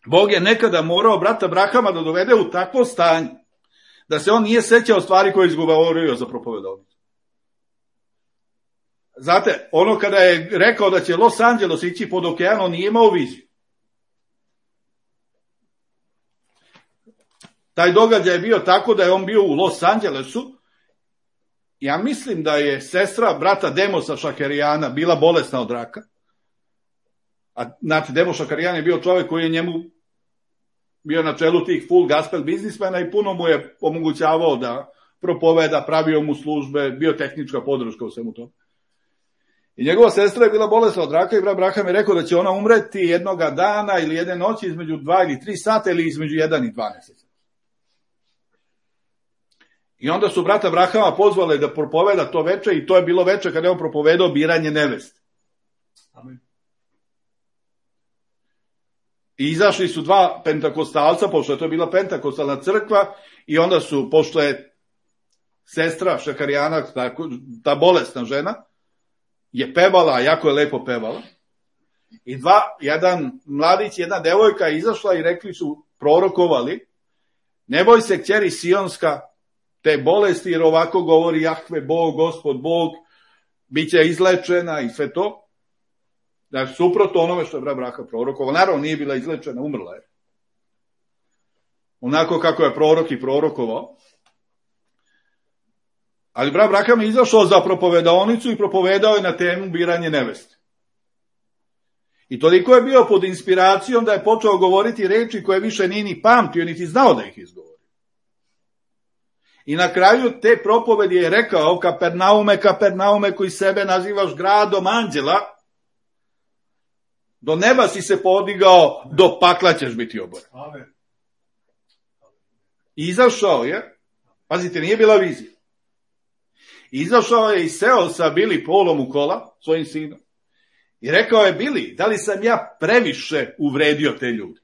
Bog je nekada morao brata Brahama da dovede u takvo stanje da se on nije sećao stvari koje je izgovorio za propovedovnicu. Znate, ono kada je rekao da će Los Angeles ići pod okean, on nije imao viziju. Taj događaj je bio tako da je on bio u Los Angelesu. Ja mislim da je sestra brata Demosa Šakerijana bila bolesna od raka. A znate, Demos Šakerijan je bio čovjek koji je njemu bio na čelu tih full gospel biznismena i puno mu je omogućavao da propoveda, pravio mu službe, bio tehnička podrška u svemu tomu. I njegova sestra je bila bolesna od raka i brat Branham je rekao da će ona umreti jednoga dana ili jedne noći između dva ili tri sata ili između jedan i dvanaest. I onda su brata Brahama pozvali da propoveda to veče i to je bilo veče kada je on propovedao biranje neveste. Amen. I izašli su dva pentakostalca, pošto je to bila pentakostalna crkva, i onda su, pošto je sestra Šakarijana, ta, ta bolesna žena, je pevala, a jako je lepo pevala, i dva, jedan mladić, jedna devojka je izašla i rekli su, prorokovali, ne boj se kćeri Sionska te bolesti, jer ovako govori Jahve Bog, Gospod Bog, bit će izlečena i sve to. Znači, suprotno onome što je brat Branham prorokovao. Naravno, nije bila izlečena, umrla je. Onako kako je prorok i prorokovao. Ali brat Branham je izašao za propovedaonicu i propovedao je na temu biranje neveste. I toliko je bio pod inspiracijom da je počeo govoriti reči koje više nije ni pamtio, niti znao da ih izgovori. I na kraju te propovedi je rekao, Kapernaume, Kapernaume, koji sebe nazivaš gradom anđela, do neba si se podigao, do pakla ćeš biti oboren. Amen. Izašao je, pazite, nije bila vizija. Izašao je i seo sa Bili Polom u kola, svojim sinom. I rekao je, Bili, da li sam ja previše uvredio te ljude?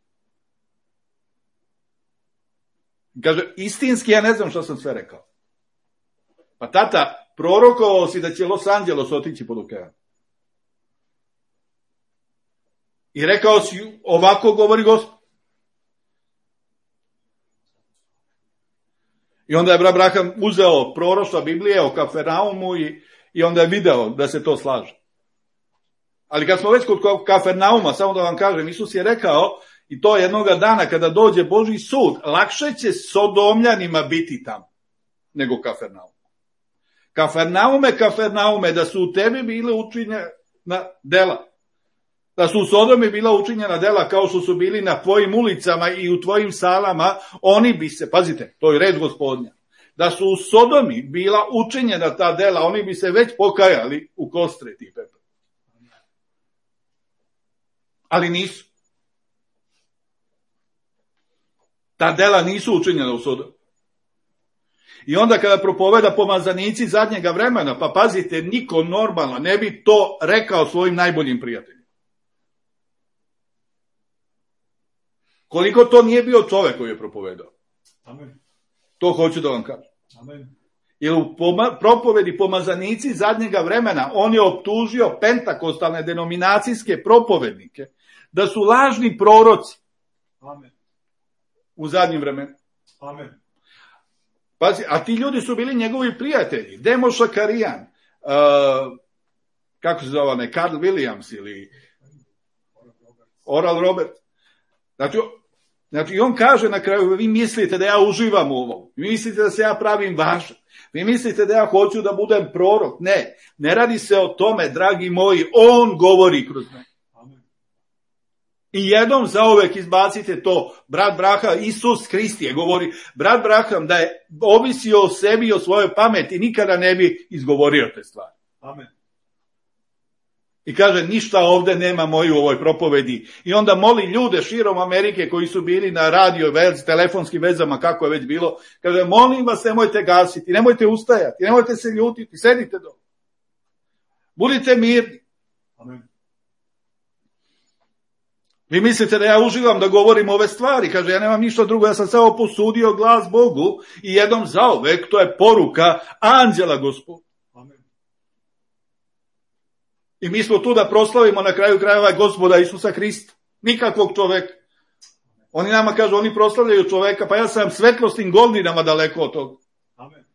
Kaže, istinski ja ne znam što sam sve rekao. Pa tata, prorokovao si da će Los Angeles otići pod okean. I rekao si, ovako govori Gospod. I onda je brat Braham uzeo proroštva Biblije o Kafernaumu i, i onda je video da se to slaže. Ali kad smo već kod Kafernauma, samo da vam kažem, Isus je rekao, i to jednoga dana kada dođe Božji sud, lakše će Sodomljanima biti tamo nego Kafernaum. Kafernaume, Kafernaume, da su u tebi bile učinjena dela. Da su u Sodomi bila učinjena dela kao što su bili na tvojim ulicama i u tvojim salama, oni bi se, pazite, to je red Gospodnja, da su u Sodomi bila učinjena ta dela, oni bi se već pokajali u kostreti i pepelu. Ali nisu. Ta dela nisu učinjena u Sodomi. I onda kada propoveda pomazanici zadnjega vremena, pa pazite, niko normalno ne bi to rekao svojim najboljim prijateljima. Koliko to nije bio čovek koji je propovedao. Amen. To hoću da vam kažem. Amen. Jer u poma- propovedi pomazanici zadnjega vremena on je optužio pentakostalne denominacijske propovednike da su lažni proroci. Amen. U zadnjim vremenima. Amen. Pazi, a ti ljudi su bili njegovi prijatelji. Demo Šakarijan, uh, kako se zove, ne, Carl Williams ili Oral Robert. Znači, znači, on kaže na kraju, vi mislite da ja uživam u ovom, vi mislite da se ja pravim važan, vi mislite da ja hoću da budem prorok. Ne, ne radi se o tome, dragi moji, on govori kroz mene. I jednom zauvek izbacite to, brat Braham, Isus Hrist govori, brat Braham da je ovisio o sebi i o svojoj pameti, nikada ne bi izgovorio te stvari. Amen. I kaže, ništa ovde nema moju u ovoj propovedi. I onda moli ljude širom Amerike koji su bili na radio, vez, telefonskim vezama, kako je već bilo, kaže, molim vas, nemojte gasiti, nemojte ustajati, nemojte se ljutiti, sedite do. Budite mirni. Amen. Vi mislite da ja uživam da govorim ove stvari, kaže, ja nemam ništa drugo, ja sam samo posudio glas Bogu i jednom zauvek, to je poruka anđela Gospoda. Amen. I mi smo tu da proslavimo na kraju krajeva Gospoda Isusa Hrista, nikakvog čoveka. Oni nama kažu, oni proslavljaju čoveka, pa ja sam svetlosnim godinama daleko od toga. Amen.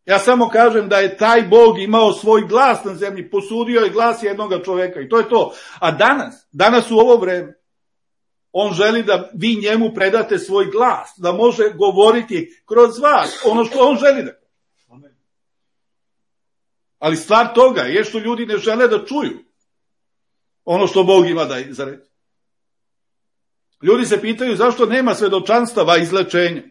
Ja samo kažem da je taj Bog imao svoj glas na zemlji, posudio je glas jednoga čoveka i to je to. A danas, danas u ovo vreme, on želi da vi njemu predate svoj glas, da može govoriti kroz vas ono što on želi da. Amen. Ali stvar toga je što ljudi ne žele da čuju ono što Bog ima da za reći. Ljudi se pitaju zašto nema svedočanstava izlečenja.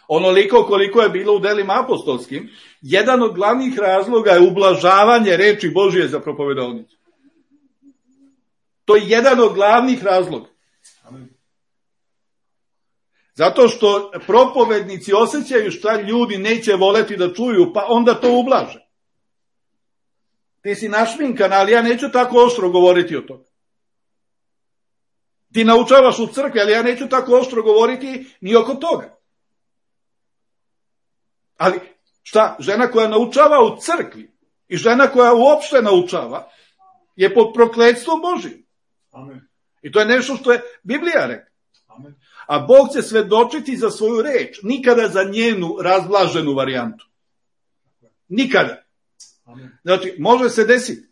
Onoliko koliko je bilo u delima apostolskim, jedan od glavnih razloga je ublažavanje reči Božije za propovedovnicu. To je jedan od glavnih razloga. Amen. Zato što propovednici osjećaju šta ljudi neće voleti da čuju, pa onda to ublaže. Ti si našminkan, ali ja neću tako oštro govoriti o tome. Ti naučavaš u crkvi, ali ja neću tako oštro govoriti ni oko toga. Ali šta, žena koja naučava u crkvi i žena koja uopšte naučava je pod prokletstvom Božijim. Amen. I to je nešto što je Biblija rekla. Amen. A Bog će svedočiti za svoju reč, nikada za njenu razblaženu varijantu. Nikada. Amen. Znači, može se desiti.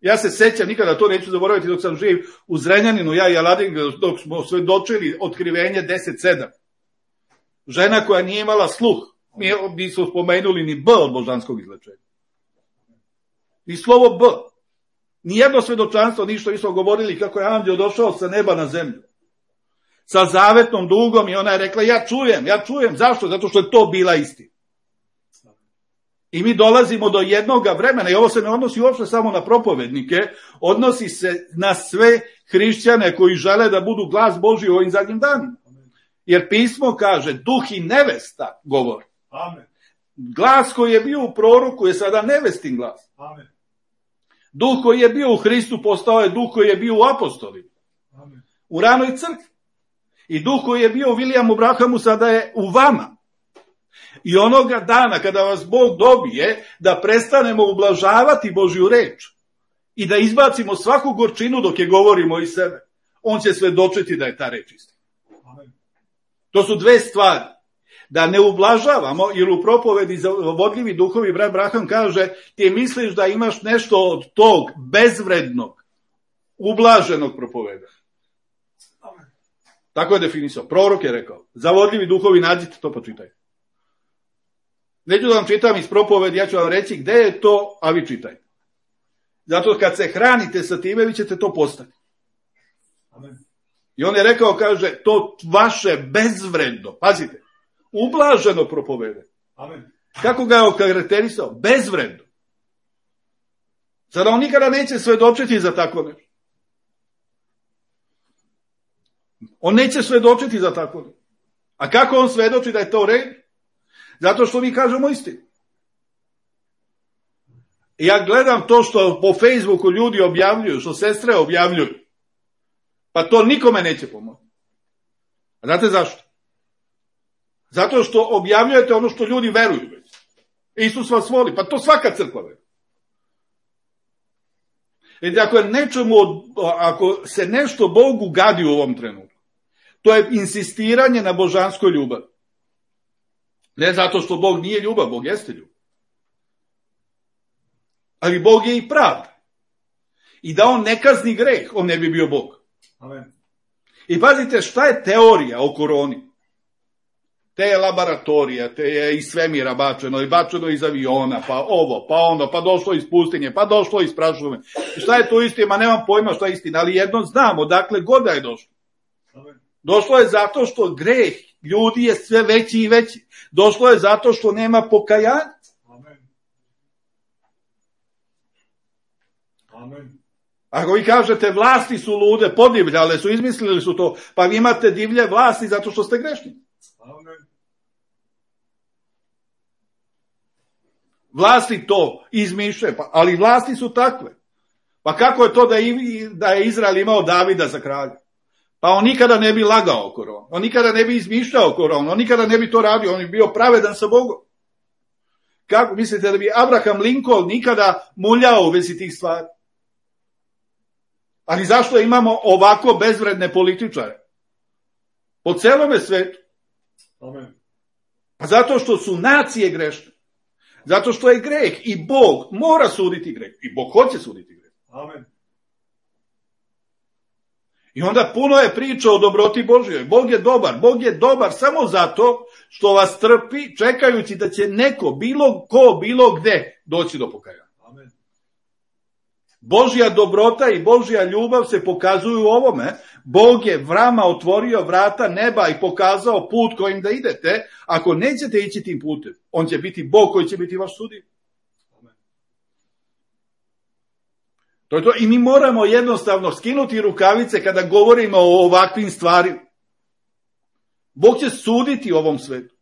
Ja se sećam, nikada to neću zaboraviti dok sam živ u Zrenjaninu, ja i Aladin, dok smo svedočili otkrivenje deset sedam. Žena koja nije imala sluh. Mi nismo spomenuli ni B od božanskog izlečenja. Ni slovo B. Nijedno svedočanstvo, ništa nismo govorili kako je anđeo došao sa neba na zemlju. sa zavetnom dugom i ona je rekla, ja čujem, ja čujem. Zašto? Zato što je to bila istina. I mi dolazimo do jednoga vremena, i ovo se ne odnosi uopšte samo na propovednike, odnosi se na sve hrišćane koji žele da budu glas Božji u ovim zadnjim danima. Jer pismo kaže, duh i nevesta govore. Amen. Glas koji je bio u proroku je sada nevestin glas. Amen. Duh koji je bio u Hristu postao je duh koji je bio u apostolima. Amen. U ranoj crkvi. I duh koji je bio u Williamu Branhamu sada je u vama. I onoga dana kada vas Bog dobije, da prestanemo ublažavati Božju reč i da izbacimo svaku gorčinu dok je govorimo iz sebe, on će svedočiti da je ta reč istina. Amen. To su dve stvari. Da ne ublažavamo, jer u propovedi za vodljivi duhovi brat Branham kaže, ti misliš da imaš nešto od tog bezvrednog, ublaženog propoveda. Amen. Tako je definisao. Prorok je rekao, za vodljivi duhovi nađite to, počitajte. Neću da vam čitam iz propovedi, ja ću vam reći gde je to, a vi čitajte. Zato kad se hranite sa time, vi ćete to postati. Amen. I on je rekao, kaže, to vaše bezvredno, pazite, ublaženo propovede. Amen. Kako ga je okarakterisao? Bezvredno. Sada on nikada neće svedočiti za tako nešto. On neće svedočiti za tako nešto. A kako on svedoči da je to red? Zato što mi kažemo istinu. Ja gledam to što po Facebooku ljudi objavljuju, što sestre objavljuju. Pa to nikome neće pomoći. A znate zašto? Zato što objavljujete ono što ljudi veruju već. Isus vas voli, pa to svaka crkva veruje. Jer ako, je nečemu, ako se nešto Bogu gadi u ovom trenutku, to je insistiranje na božanskoj ljubavi. Ne zato što Bog nije ljubav, Bog jeste ljubav. Ali Bog je i pravda. I da on ne kazni greh, on ne bi bio Bog. Amen. I pazite šta je teorija o koroni. Te je laboratorija, te je iz svemira bačeno, i bačeno iz aviona, pa ovo, pa ono, pa došlo iz pustinje, pa došlo iz prašume. Šta je to istina? Ma nemam pojma šta je istina, ali jedno znamo, dakle god da je došlo. Amen. Došlo je zato što greh ljudi je sve veći i veći. Došlo je zato što nema pokajanja. Amen. Amen. Ako vi kažete vlasti su lude, podivljale su, izmislili su to, pa vi imate divlje vlasti zato što ste grešni. Amen. Vlasti to izmišljaju, pa, ali vlasti su takve. Pa kako je to da, i, da je Izrael imao Davida za kralja? Pa on nikada ne bi lagao koronu, on nikada ne bi izmišljao koronu, on nikada ne bi to radio, on bi bio pravedan sa Bogom. Kako mislite da bi Abraham Lincoln nikada muljao u vezi tih stvari? Ali zašto imamo ovako bezvredne političare? Po celome svetu. Amen. Pa zato što su nacije grešne. Zato što je greh i Bog mora suditi greh. I Bog hoće suditi greh. Amen. I onda puno je priča o dobroti Božjoj. Bog je dobar. Bog je dobar samo zato što vas trpi, čekajući da će neko, bilo ko, bilo gde, doći do pokajanja. Amen. Božja dobrota i Božja ljubav se pokazuju u ovome. Bog je vama otvorio vrata neba i pokazao put kojim da idete. Ako nećete ići tim putem, on će biti Bog koji će biti vaš sudija. To je to. I mi moramo jednostavno skinuti rukavice kada govorimo o ovakvim stvarima. Bog će suditi ovom svetu.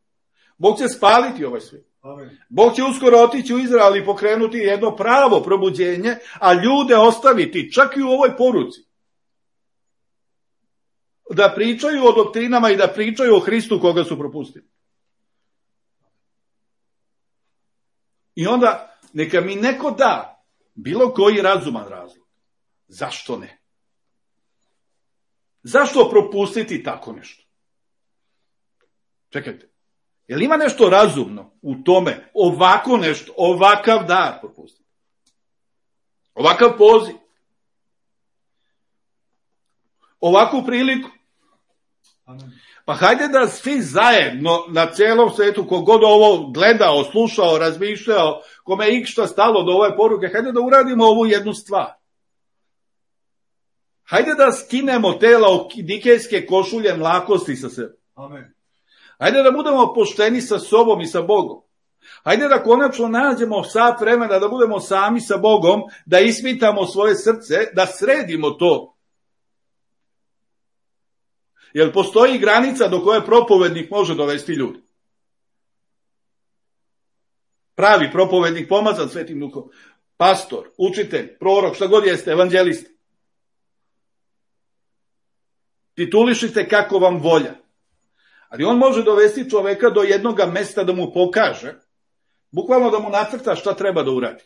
Bog će spaliti ovaj svijet. Amen. Bog će uskoro otići u Izrael i pokrenuti jedno pravo probuđenje, a ljude ostaviti čak i u ovoj poruci. Da pričaju o doktrinama i da pričaju o Hristu koga su propustili. I onda neka mi neko da bilo koji razuman razlog. Zašto ne? Zašto propustiti tako nešto? Čekajte. Je li ima nešto razumno u tome, ovako nešto, ovakav dar propustiti? Ovakav poziv? Ovakvu priliku? Amen. Pa hajde da svi zajedno na celom svetu, kogod ovo gledao, slušao, razmišljao, kome je ikšta stalo do ove poruke, hajde da uradimo ovu jednu stvar. Hajde da skinemo te laodikejske košulje mlakosti sa sebe. Amen. Hajde da budemo pošteni sa sobom i sa Bogom. Hajde da konačno nađemo sat vremena da budemo sami sa Bogom, da ispitamo svoje srce, da sredimo to. Jer postoji granica do koje propovednik može dovesti ljudi. Pravi propovednik, pomazan Svetim Duhom, pastor, učitelj, prorok, šta god jeste, evanđelist. Titulišite kako vam volja. Ali on može dovesti čoveka do jednog mesta da mu pokaže, bukvalno da mu nacrta šta treba da uradi.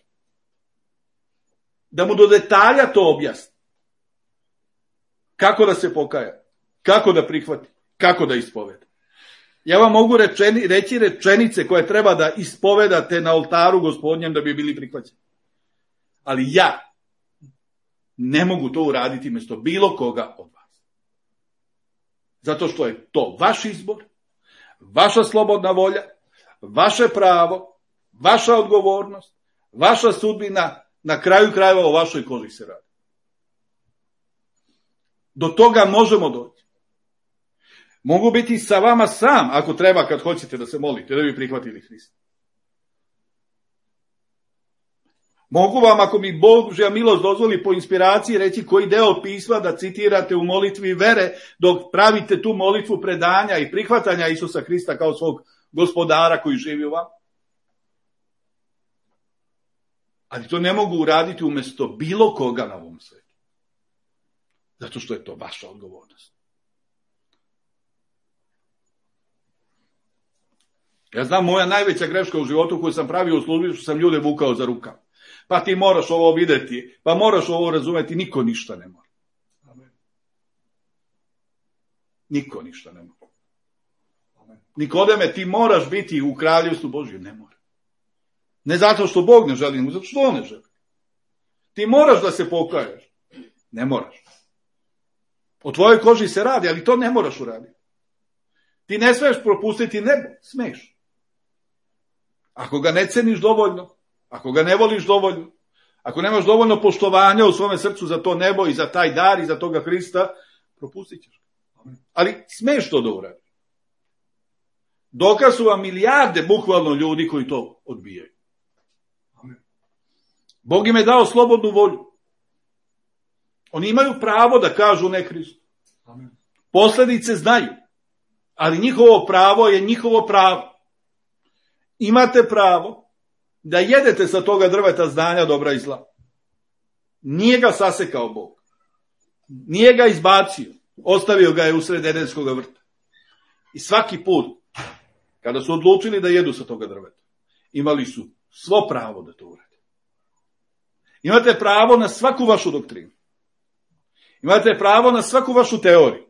Da mu do detalja to objasni. Kako da se pokaja, kako da prihvati, kako da ispoveda. Ja vam mogu rečeni, reći rečenice koje treba da ispovedate na oltaru Gospodnjem da bi bili prihvaćeni. Ali ja ne mogu to uraditi mjesto bilo koga od vas. Zato što je to vaš izbor, vaša slobodna volja, vaše pravo, vaša odgovornost, vaša sudbina, na kraju krajeva o vašoj koži se radi. Do toga možemo doći. Mogu biti sa vama sam, ako treba, kad hoćete da se molite, da bi prihvatili Hrista. Mogu vam, ako mi Božja milost dozvoli, po inspiraciji reći koji deo pisma da citirate u molitvi vere, dok pravite tu molitvu predanja i prihvatanja Isusa Hrista kao svog gospodara koji živi u vam. Ali to ne mogu uraditi umjesto bilo koga na ovom svijetu. Zato što je to vaša odgovornost. Ja znam, moja najveća greška u životu koju sam pravio u službi, što sam ljude vukao za rukav. Pa ti moraš ovo vidjeti, pa moraš ovo razumjeti, niko ništa ne mora. Amen. Niko ništa ne mora. Amen. Nikodeme, ti moraš biti u kraljevstvu Božjem, ne mora. Ne zato što Bog ne želi, nego zato što on ne želi. Ti moraš da se pokaješ. Ne moraš. O tvojoj koži se radi, ali to ne moraš uraditi. Ti ne smiješ propustiti nebo, smiješ. Ako ga ne ceniš dovoljno, ako ga ne voliš dovoljno, ako nemaš dovoljno poštovanja u svome srcu za to nebo i za taj dar i za toga Hrista, propustit ćeš. Ali smiješ to da uradiš. Dokaz su vam milijarde bukvalno ljudi koji to odbijaju. Bog im je dao slobodnu volju. Oni imaju pravo da kažu ne Hristu. Posljedice znaju. Ali njihovo pravo je njihovo pravo. Imate pravo da jedete sa toga drveta znanja dobra i zla. Nije ga sasekao Bog. Nije ga izbacio. Ostavio ga je usred Edenskog vrta. I svaki put, kada su odlučili da jedu sa toga drveta, imali su svo pravo da to urade. Imate pravo na svaku vašu doktrinu. Imate pravo na svaku vašu teoriju.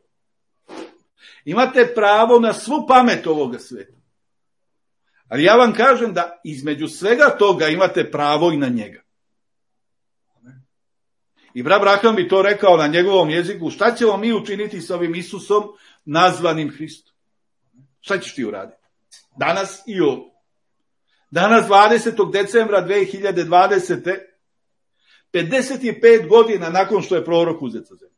Imate pravo na svu pamet ovoga sveta. Ali ja vam kažem da između svega toga imate pravo i na njega. I brat Braham bi to rekao na njegovom jeziku, šta ćemo mi učiniti s ovim Isusom nazvanim Hristom? Šta ćeš ti uraditi? Danas i ovo. Danas dvadesetog decembra dve hiljade dvadesete. pedeset pet godina nakon što je prorok uzet sa zemlje.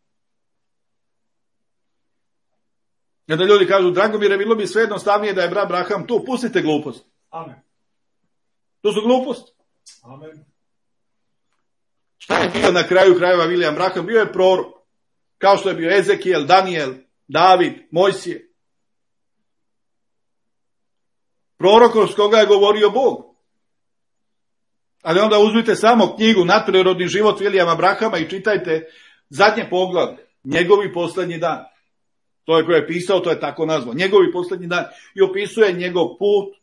Kada ljudi kažu, Dragomire, bilo bi sve jednostavnije da je brat Braham tu, pustite glupost. Amen. To su glupost. Amen. Šta je bio na kraju krajeva William Braham? Bio je prorok. Kao što je bio Ezekijel, Daniel, David, Mojsije. Prorok s koga je govorio Bog. Ali onda uzmite samo knjigu Nadprirodni život Williama Brahama i čitajte zadnje poglavlje. Njegovi posljednji dan. To je koje je pisao, to je tako nazvao. Njegovi posljednji dan. I opisuje njegov put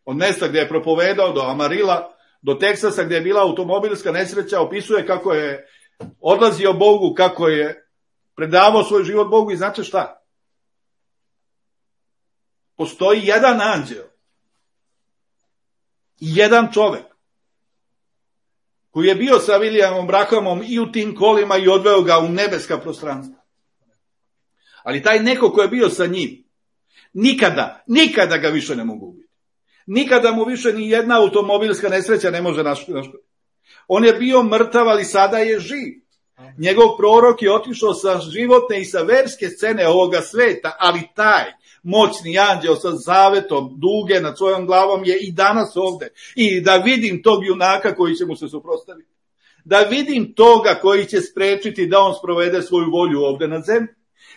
od mjesta gdje je propovedao do Amarila, do Teksasa gdje je bila automobilska nesreća. Opisuje kako je odlazio Bogu, kako je predavao svoj život Bogu. I znate šta? Postoji jedan anđeo i jedan čovjek koji je bio sa Williamom Brahamom i u tim kolima i odveo ga u nebeska prostranstva. Ali taj neko ko je bio sa njim, nikada, nikada ga više ne mogu ubiti. Nikada mu više ni jedna automobilska nesreća ne može naškoditi. On je bio mrtav, ali sada je živ. Njegov prorok je otišao sa životne i sa verske scene ovoga sveta, ali taj moćni anđeo sa zavetom duge nad svojom glavom je i danas ovde. I da vidim tog junaka koji će mu se suprotstaviti. Da vidim toga koji će sprečiti da on sprovede svoju volju ovde na zemlji.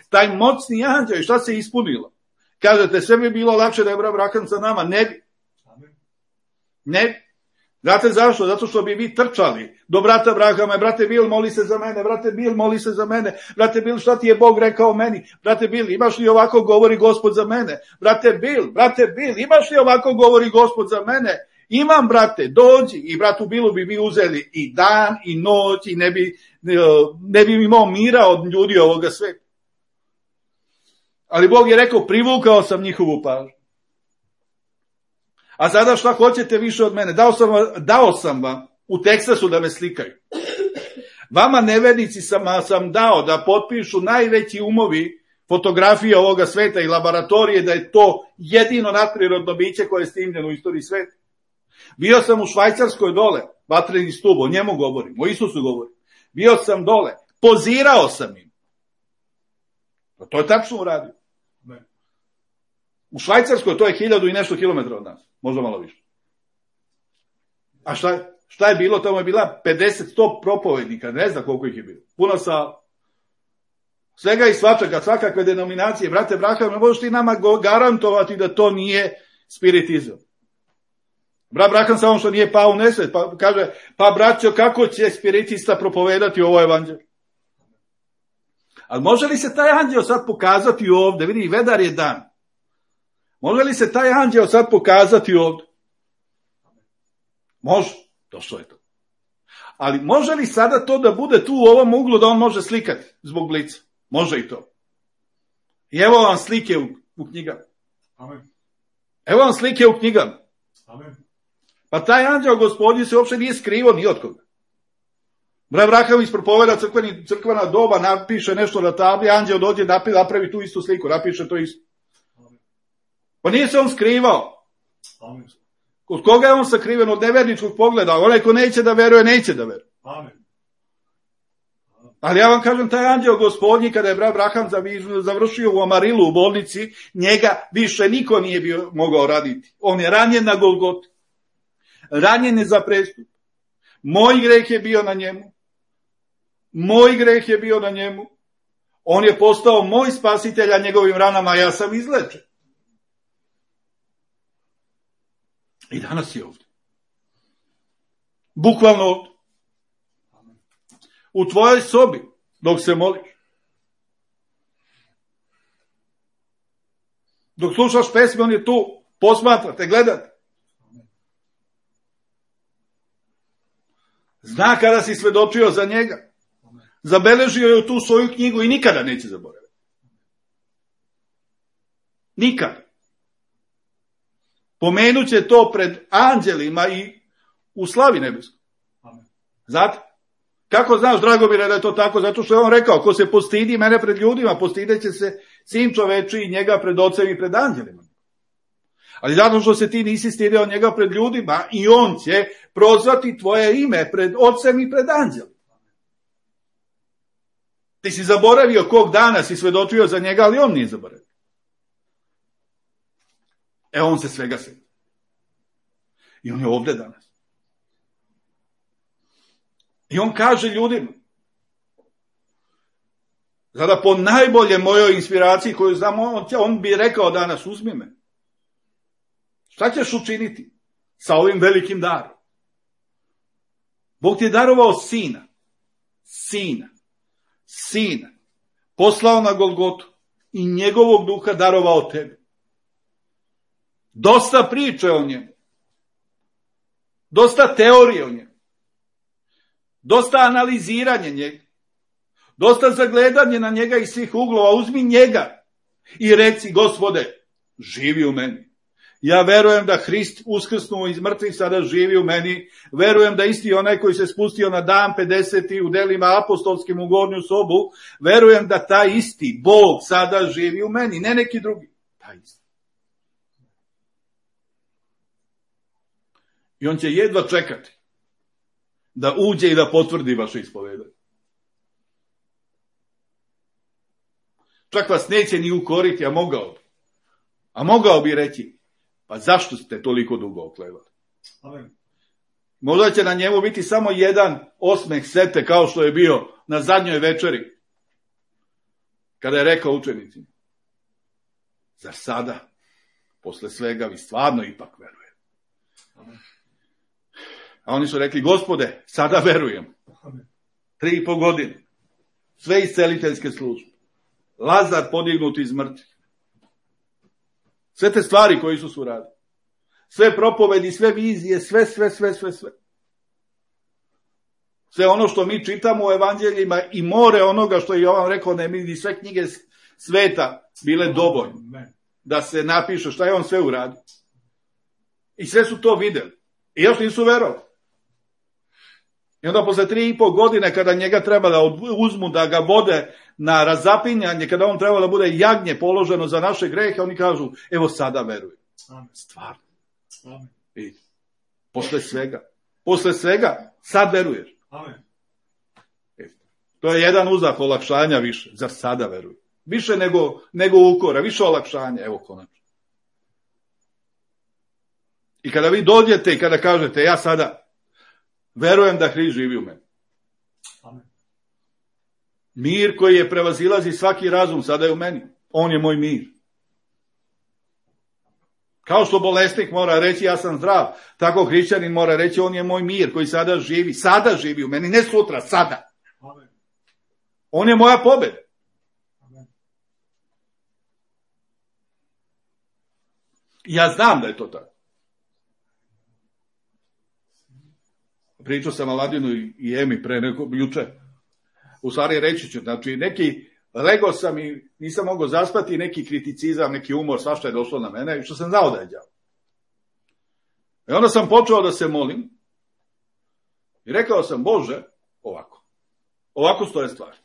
Taj moćni anđeo, i šta se ispunilo? Kažete, sve bi bilo lakše da je Abraham sa nama. Ne bi. Ne bi. Znate zašto? Zato što bi vi trčali do brata Abrahama, brate Bil, moli se za mene, brate Bil, moli se za mene, brate Bil, šta ti je Bog rekao meni, brate Bil, imaš li ovako govori Gospod za mene, brate Bil, brate Bil, imaš li ovako govori Gospod za mene, imam, brate, dođi, i bratu Bilu bi mi uzeli i dan i noć i ne bi, ne bi imao mira od ljudi ovoga sveta. Ali Bog je rekao, privukao sam njihovu pažnju. A sada šta hoćete više od mene? Dao sam, dao sam vam u Teksasu da me slikaju. Vama nevernici sam, sam dao da potpišu najveći umovi fotografije ovoga sveta i laboratorije, da je to jedino nadprirodno biće koje je snimljeno u istoriji sveta. Bio sam u Švajcarskoj dole, vatreni stub, o njemu govorim, o Isusu govorim. Bio sam dole, pozirao sam im. To je tačno uradio. U Švajcarskoj to je hiljadu i nešto kilometra od nas, možda malo više. A šta, šta je bilo? Tamo je bila pedeset sto propovednika, ne znam koliko ih je bilo. Puno sa svega i svačega, svakakve denominacije. Brate Abraham, ne možeš ti nama garantovati da to nije spiritizam. Brat Abraham samo što nije pao u nesvet, pa kaže, pa braćo, kako će spiritista propovedati ovo evanđelje? Ali može li se taj anđeo sad pokazati ovde? Vidi, vedar je dan. Može li se taj anđeo sad pokazati ovde? Može, došlo je to. Ali može li sada to da bude tu u ovom uglu da on može slikati zbog blica? Može i to. I evo vam slike u, u knjigama. Amen. Evo vam slike u knjigama. Amen. Pa taj anđeo Gospodnji se uopšte nije skrivo ni od koga. Brat Abraham ispropoveda crkveni, crkvena doba, napiše nešto na tabli, anđeo dođe, napravi tu istu sliku, napiše to isto. Pa nije se on skrivao. Amen. Od koga je on sakriven? Od neverničkog pogleda. Onaj ko neće da veruje, neće da veruje. Amen. Ali ja vam kažem, taj anđeo Gospodnji, kada je brat Abraham završio u Amarilu u bolnici, njega više niko nije bio mogao raditi. On je ranjen na Golgoti. Ranjen je za prestup. Moj greh je bio na njemu. Moj greh je bio na njemu. On je postao moj spasitelj, a njegovim ranama ja sam izlečen. I danas je ovdje. Bukvalno ovdje. U tvojoj sobi, dok se moliš. Dok slušaš pesme, on je tu. Posmatrate, gledate. Zna kada si svedočio za njega. Zabeležio je u tu svoju knjigu i nikada neće zaboraviti. Nikada. Pomenut će to pred anđelima i u slavi nebeskoj. Znate? Kako znaš, Dragomire, da je to tako? Zato što je on rekao, ko se postidi mene pred ljudima, postideće se sin čoveči i njega pred ocem i pred anđelima. Ali zato što se ti nisi stidio njega pred ljudima, i on će prozvati tvoje ime pred ocem i pred anđelima. Ti si zaboravio kog dana si svedočio za njega, ali on nije zaboravio. E, on se svega sjeti. I on je ovde danas. I on kaže ljudima, sada po najbolje mojoj inspiraciji koju znam, on, on bi rekao danas, uzmi me. Šta ćeš učiniti sa ovim velikim darom? Bog ti je darovao sina. Sina. Sina. Poslao na Golgotu. I njegovog duha darovao tebi. Dosta priče o njemu. Dosta teorije o njemu. Dosta analiziranje njega. Dosta zagledanje na njega iz svih uglova. Uzmi njega i reci, Gospode, živi u meni. Ja verujem da Hrist uskrsnuo iz mrtvih sada živi u meni. Verujem da isti onaj koji se spustio na dan pedeseti u delima apostolskim u gornju sobu, verujem da taj isti Bog sada živi u meni, ne neki drugi. Taj isti. I on će jedva čekati da uđe i da potvrdi vaše ispovedanje. Čak vas neće ni ukoriti, a mogao bi. A mogao bi reći, pa zašto ste toliko dugo oklevali? Amen. Možda će na njemu biti samo jedan osmeh sete, kao što je bio na zadnjoj večeri. Kada je rekao učenicima, zar sada, posle svega, vi stvarno ipak verujete? Amen. A oni su rekli, Gospode, sada verujem. Amen. Tri i po godine. Sve isceliteljske službe. Lazar podignut iz mrtvih. Sve te stvari koje Isus uradi. Sve propovedi, sve vizije, sve, sve, sve, sve, sve. Sve ono što mi čitamo u evanđeljima i more onoga što je Jovan rekao, ne mi sve knjige sveta bile dovoljne Amen. da se napiše šta je on sve uradio. I sve su to videli. I još nisu verovali. I onda posle tri i po godine kada njega treba da uzmu, da ga vode na razapinjanje, kada on treba da bude jagnje položeno za naše grehe, oni kažu, evo sada veruju. Amen. Stvarno. Amen. I posle svega. Posle svega, sad veruješ. Amen. E, to je jedan uzak olakšanja više. Zar sada veruju? Više nego, nego ukora, više olakšanja. Evo konačno. I kada vi dođete i kada kažete, ja sada verujem da Hrist živi u meni. Amen. Mir koji je prevazilazi svaki razum, sada je u meni. On je moj mir. Kao što bolesnik mora reći ja sam zdrav, tako hrišćanin mora reći on je moj mir koji sada živi. Sada živi u meni, ne sutra, sada. Amen. On je moja pobjeda. Amen. Ja znam da je to tako. Pričao sam Aladinu i Emi pre neko, juče. U stvari reći ću, znači neki, legao sam i nisam mogao zaspati, neki kriticizam, neki umor, svašta je došlo na mene, i što sam znao da je đavo. I onda sam počeo da se molim i rekao sam, Bože, ovako, ovako stoje stvari.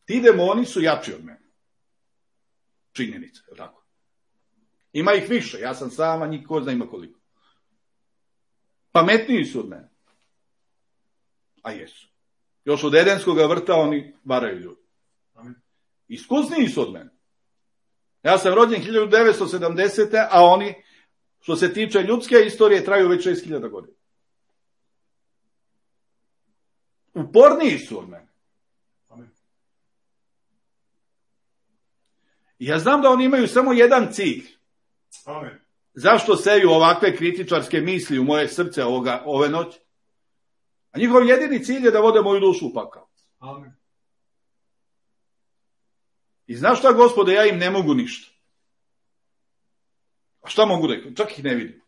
Ti demoni su jači od mene. Činjenica, je tako? Ima ih više, ja sam sam, a niko zna ima koliko. Pametniji su od mene. A jesu. Još od Edenskog vrta oni varaju ljudi. Amen. Iskusniji su od mene. Ja sam rođen hiljadu devetsto sedamdesete. a oni, što se tiče ljudske istorije, traju već šest hiljada godina. Uporniji su od mene. Amen. I ja znam da oni imaju samo jedan cilj. Amen. Zašto seju ovakve kritičarske misli u moje srce ovoga, ove noći? A njihov jedini cilj je da vode moju dušu u pakao. Amen. I znaš šta, Gospode, ja im ne mogu ništa. A šta mogu da, čak ih ne vidim.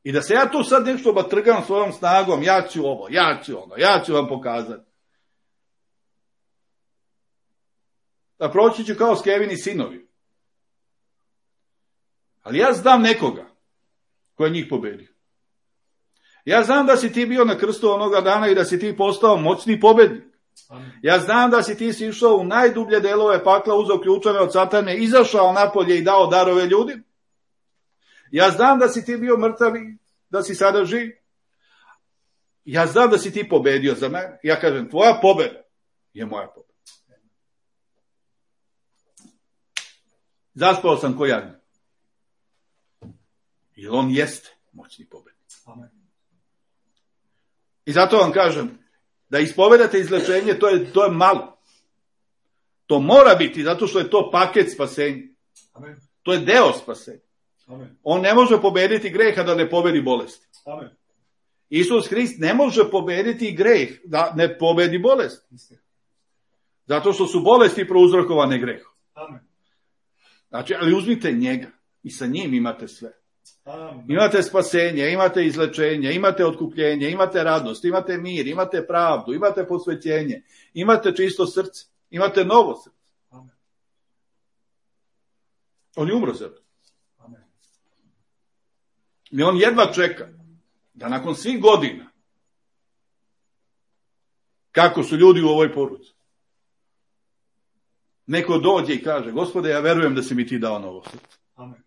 I da se ja tu sad nešto batrgam svojom snagom, ja ću ovo, ja ću ono, ja ću vam pokazati. Da proći ću kao Skevini sinovi. Ali ja znam nekoga koji je njih pobedio. Ja znam da si ti bio na krstu onoga dana i da si ti postao moćni pobednik. Amen. Ja znam da si ti si išao u najdublje delove pakla, uzeo ključeve od satane, izašao napolje i dao darove ljudima. Ja znam da si ti bio mrtav i da si sada živ. Ja znam da si ti pobedio za mene. Ja kažem, tvoja pobeda je moja pobeda. Zaspao sam ko jagnje. Jer on jeste moćni pobednik. Amen. I zato vam kažem, da ispovedate izlečenje, to je, to je malo. To mora biti, zato što je to paket spasenja. Amen. To je deo spasenja. Amen. On ne može pobediti greha da ne pobedi bolesti. Amen. Isus Hrist ne može pobediti greh da ne pobedi bolest. Zato što su bolesti prouzrokovane grehom. Amen. Znači, ali uzmite njega i sa njim imate sve. Amen. Imate spasenje, imate izlečenje, imate otkupljenje, imate radost, imate mir, imate pravdu, imate posvećenje, imate čisto srce, imate novo srce. Amen. On je umro za to. Amen. I on jedva čeka da nakon svih godina, kako su ljudi u ovoj poruci, neko dođe i kaže, Gospode, ja verujem da si mi ti dao novo srce. Amen.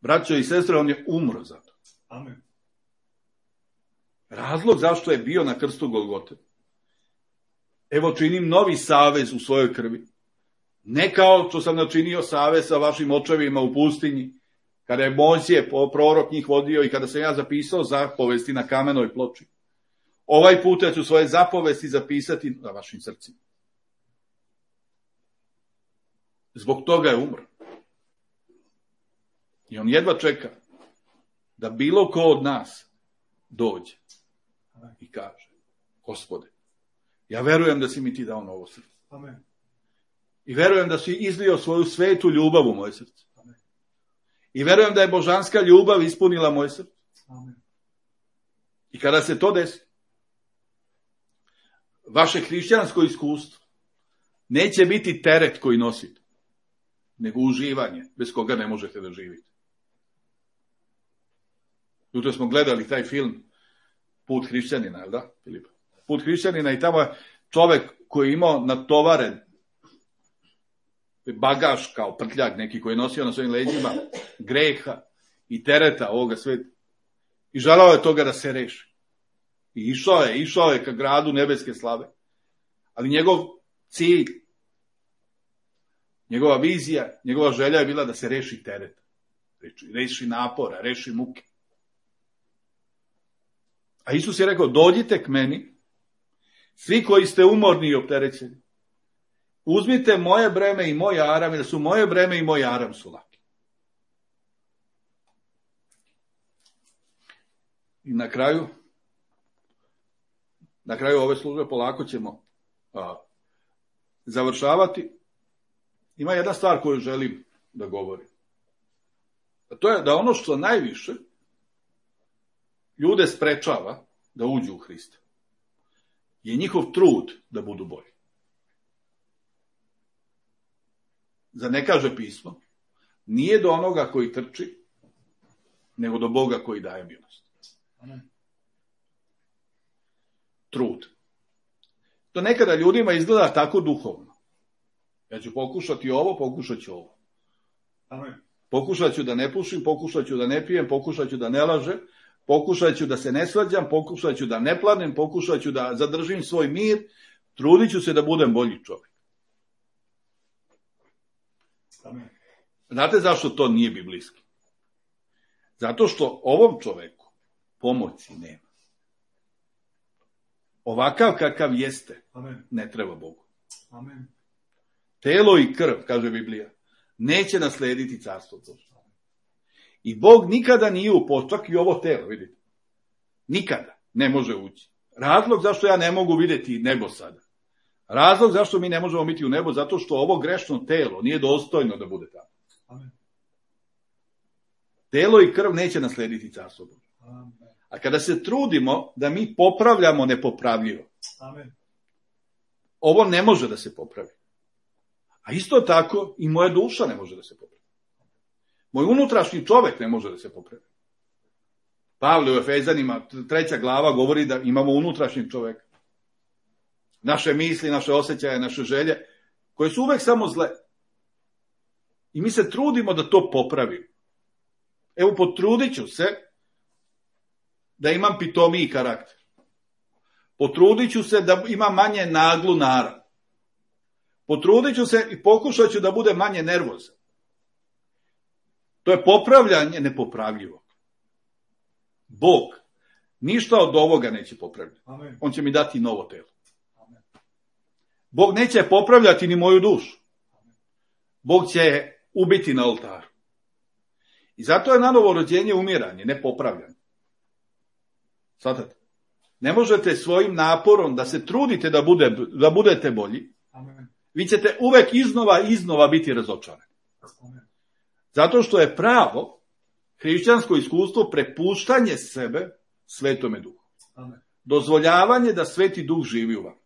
Braćo i sestre, on je umro za to. Amen. Razlog zašto je bio na krstu Golgote Evo činim novi savez u svojoj krvi. Ne kao što sam načinio savez sa vašim očevima u pustinji, kada je Mojsije, prorok, njih vodio i kada sam ja zapisao zapovesti na kamenoj ploči. Ovaj put ja ću svoje zapovesti zapisati na vašim srcima. Zbog toga je umro. I on jedva čeka da bilo ko od nas dođe i kaže: Gospode, ja verujem da si mi ti dao novo srce. Amen. I verujem da si izlio svoju svetu ljubav u moje srce. Amen. I verujem da je božanska ljubav ispunila moje srce. Amen. I kada se to desi, vaše hrišćansko iskustvo neće biti teret koji nosite, nego uživanje, bez koga ne možete da živite. Jutro smo gledali taj film Put hrišćanina, jel da, Filipa? Put hrišćanina, i tamo je čovek koji je imao natovaren bagaž kao prtljak neki koji je nosio na svojim leđima greha i tereta ovoga sveta. I želao je toga da se reši. I išao je, išao je ka gradu nebeske slave. Ali njegov cilj, njegova vizija, njegova želja je bila da se reši tereta. Reši napora, reši muke. A Isus je rekao: dođite k meni, svi koji ste umorni i opterećeni. Uzmite moje breme i moj aram, jer su moje breme i moj aram su laki. I na kraju, na kraju ove službe polako ćemo a, završavati. Ima jedna stvar koju želim da govorim. A to je da ono što najviše ljude sprečava da uđu u Hrista je njihov trud da budu bolji. Za ne kaže pismo, nije do onoga koji trči, nego do Boga koji daje milost. Amen. Trud. To nekada ljudima izgleda tako duhovno. Ja ću pokušati ovo, pokušat ću ovo. Amen. Pokušat ću da ne pušim, pokušat ću da ne pijem, pokušat ću da ne lažem, pokušat ću da se ne svađam, pokušat ću da ne planem, pokušat ću da zadržim svoj mir, trudit ću se da budem bolji čovjek. Amen. Znate zašto to nije biblijski? Zato što ovom čoveku pomoći nema. Ovakav kakav jeste, Amen. ne treba Bogu. Amen. Telo i krv, kaže Biblija, neće naslediti carstvo Božje. I Bog nikada nije upošao, čak i ovo telo, vidite. Nikada ne može ući. Razlog zašto ja ne mogu vidjeti nebo sada. Razlog zašto mi ne možemo biti u nebo, zato što ovo grešno telo nije dostojno da bude tamo. Amen. Telo i krv neće naslediti carstvo Božje. Amen. A kada se trudimo da mi popravljamo nepopravljivo, Amen. ovo ne može da se popravi. A isto tako i moja duša ne može da se popravi. Moj unutrašnji čovjek ne može da se popravi. Pavle u Efezanima, treća glava, govori da imamo unutrašnjeg čovjeka. Naše misli, naše osjećaje, naše želje, koje su uvek samo zle. I mi se trudimo da to popravimo. Evo, potrudit ću se da imam pitomiji karakter. Potrudit ću se da imam manje naglu narav. Potrudit ću se i pokušat ću da bude manje nervozan. To je popravljanje nepopravljivog. Bog ništa od ovoga neće popravljati. Amen. On će mi dati novo telo. Amen. Bog neće popravljati ni moju dušu. Bog će je ubiti na oltaru. I zato je nanovo rođenje umiranje, ne popravljanje. Svatate? Ne možete svojim naporom da se trudite da, bude, da budete bolji. Amen. Vi ćete uvek iznova i iznova biti razočarani. Amen. Zato što je pravo hrišćansko iskustvo prepuštanje sebe Svetome Duhu. Amen. Dozvoljavanje da Sveti Duh živi u vama.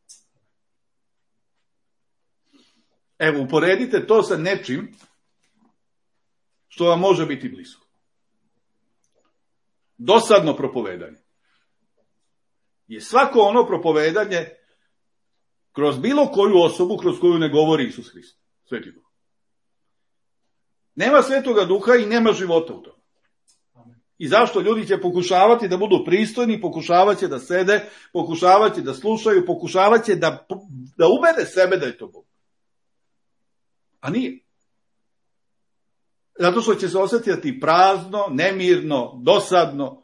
Evo, uporedite to sa nečim što vam može biti blisko. Dosadno propovedanje je svako ono propovedanje kroz bilo koju osobu kroz koju ne govori Isus Hrist, Sveti Duh. Nema Svetoga Duha i nema života u tome. Amen. I zašto? Ljudi će pokušavati da budu pristojni, pokušavat će da sede, pokušavat će da slušaju, pokušavat će da, da ubede sebe da je to Bog. A nije. Zato što će se osjetiti prazno, nemirno, dosadno.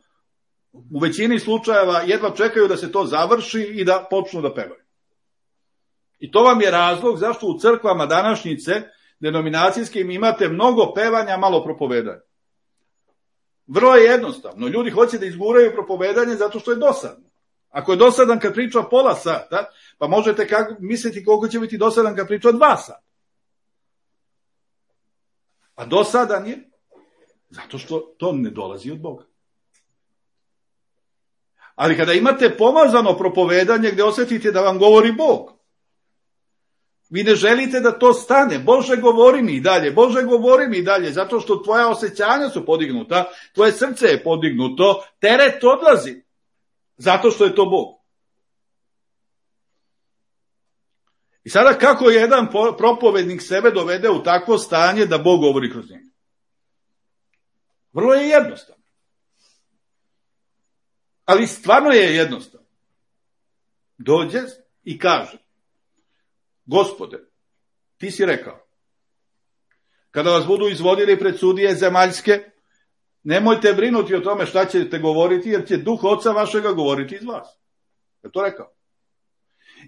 U većini slučajeva jedva čekaju da se to završi i da počnu da pevaju. I to vam je razlog zašto u crkvama današnjice, denominacijskim, imate mnogo pevanja, malo propovedanja. Vrlo je jednostavno. Ljudi hoće da izguraju propovedanje zato što je dosadno. Ako je dosadan kad priča pola sata, pa možete kako, misliti koliko će biti dosadan kad priča dva sata. A dosadan je zato što to ne dolazi od Boga. Ali kada imate pomazano propovedanje gdje osjetite da vam govori Bog, vi ne želite da to stane. Bože, govori mi i dalje. Bože, govori mi i dalje. Zato što tvoja osjećanja su podignuta, tvoje srce je podignuto, teret odlazi. Zato što je to Bog. I sada kako jedan propovednik sebe dovede u takvo stanje da Bog govori kroz njega? Vrlo je jednostavno. Ali stvarno je jednostavno. Dođe i kaže: Gospode, ti si rekao, kada vas budu izvodili pred sudije zemaljske, nemojte brinuti o tome šta ćete govoriti, jer će duh Oca vašega govoriti iz vas. Je to rekao?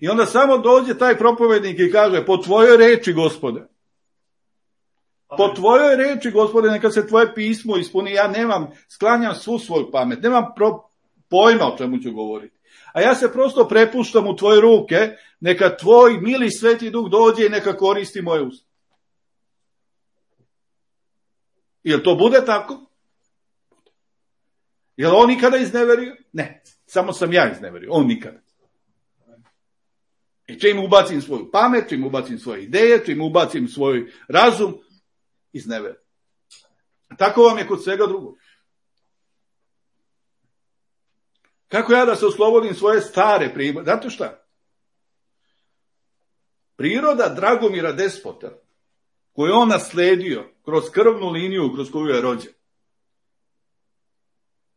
I onda samo dođe taj propovednik i kaže: po tvojoj reči, Gospode, po tvojoj reči, Gospode, neka se tvoje pismo ispuni. Ja nemam, sklanjam svu svoju pamet, nemam pro, pojma o čemu ću govoriti. A ja se prosto prepuštam u tvoje ruke, neka tvoj mili sveti duh dođe i neka koristi moje usta. Jel to bude tako? Jel on nikada izneverio? Ne, samo sam ja izneverio, on nikada. I čim ubacim svoju pamet, čim ubacim svoje ideje, čim ubacim svoj razum, izneverio. Tako vam je kod svega drugog. Kako ja da se oslobodim svoje stare prirode? Znate šta? Priroda Dragomira Despota, koju on nasledio kroz krvnu liniju kroz koju je rođen,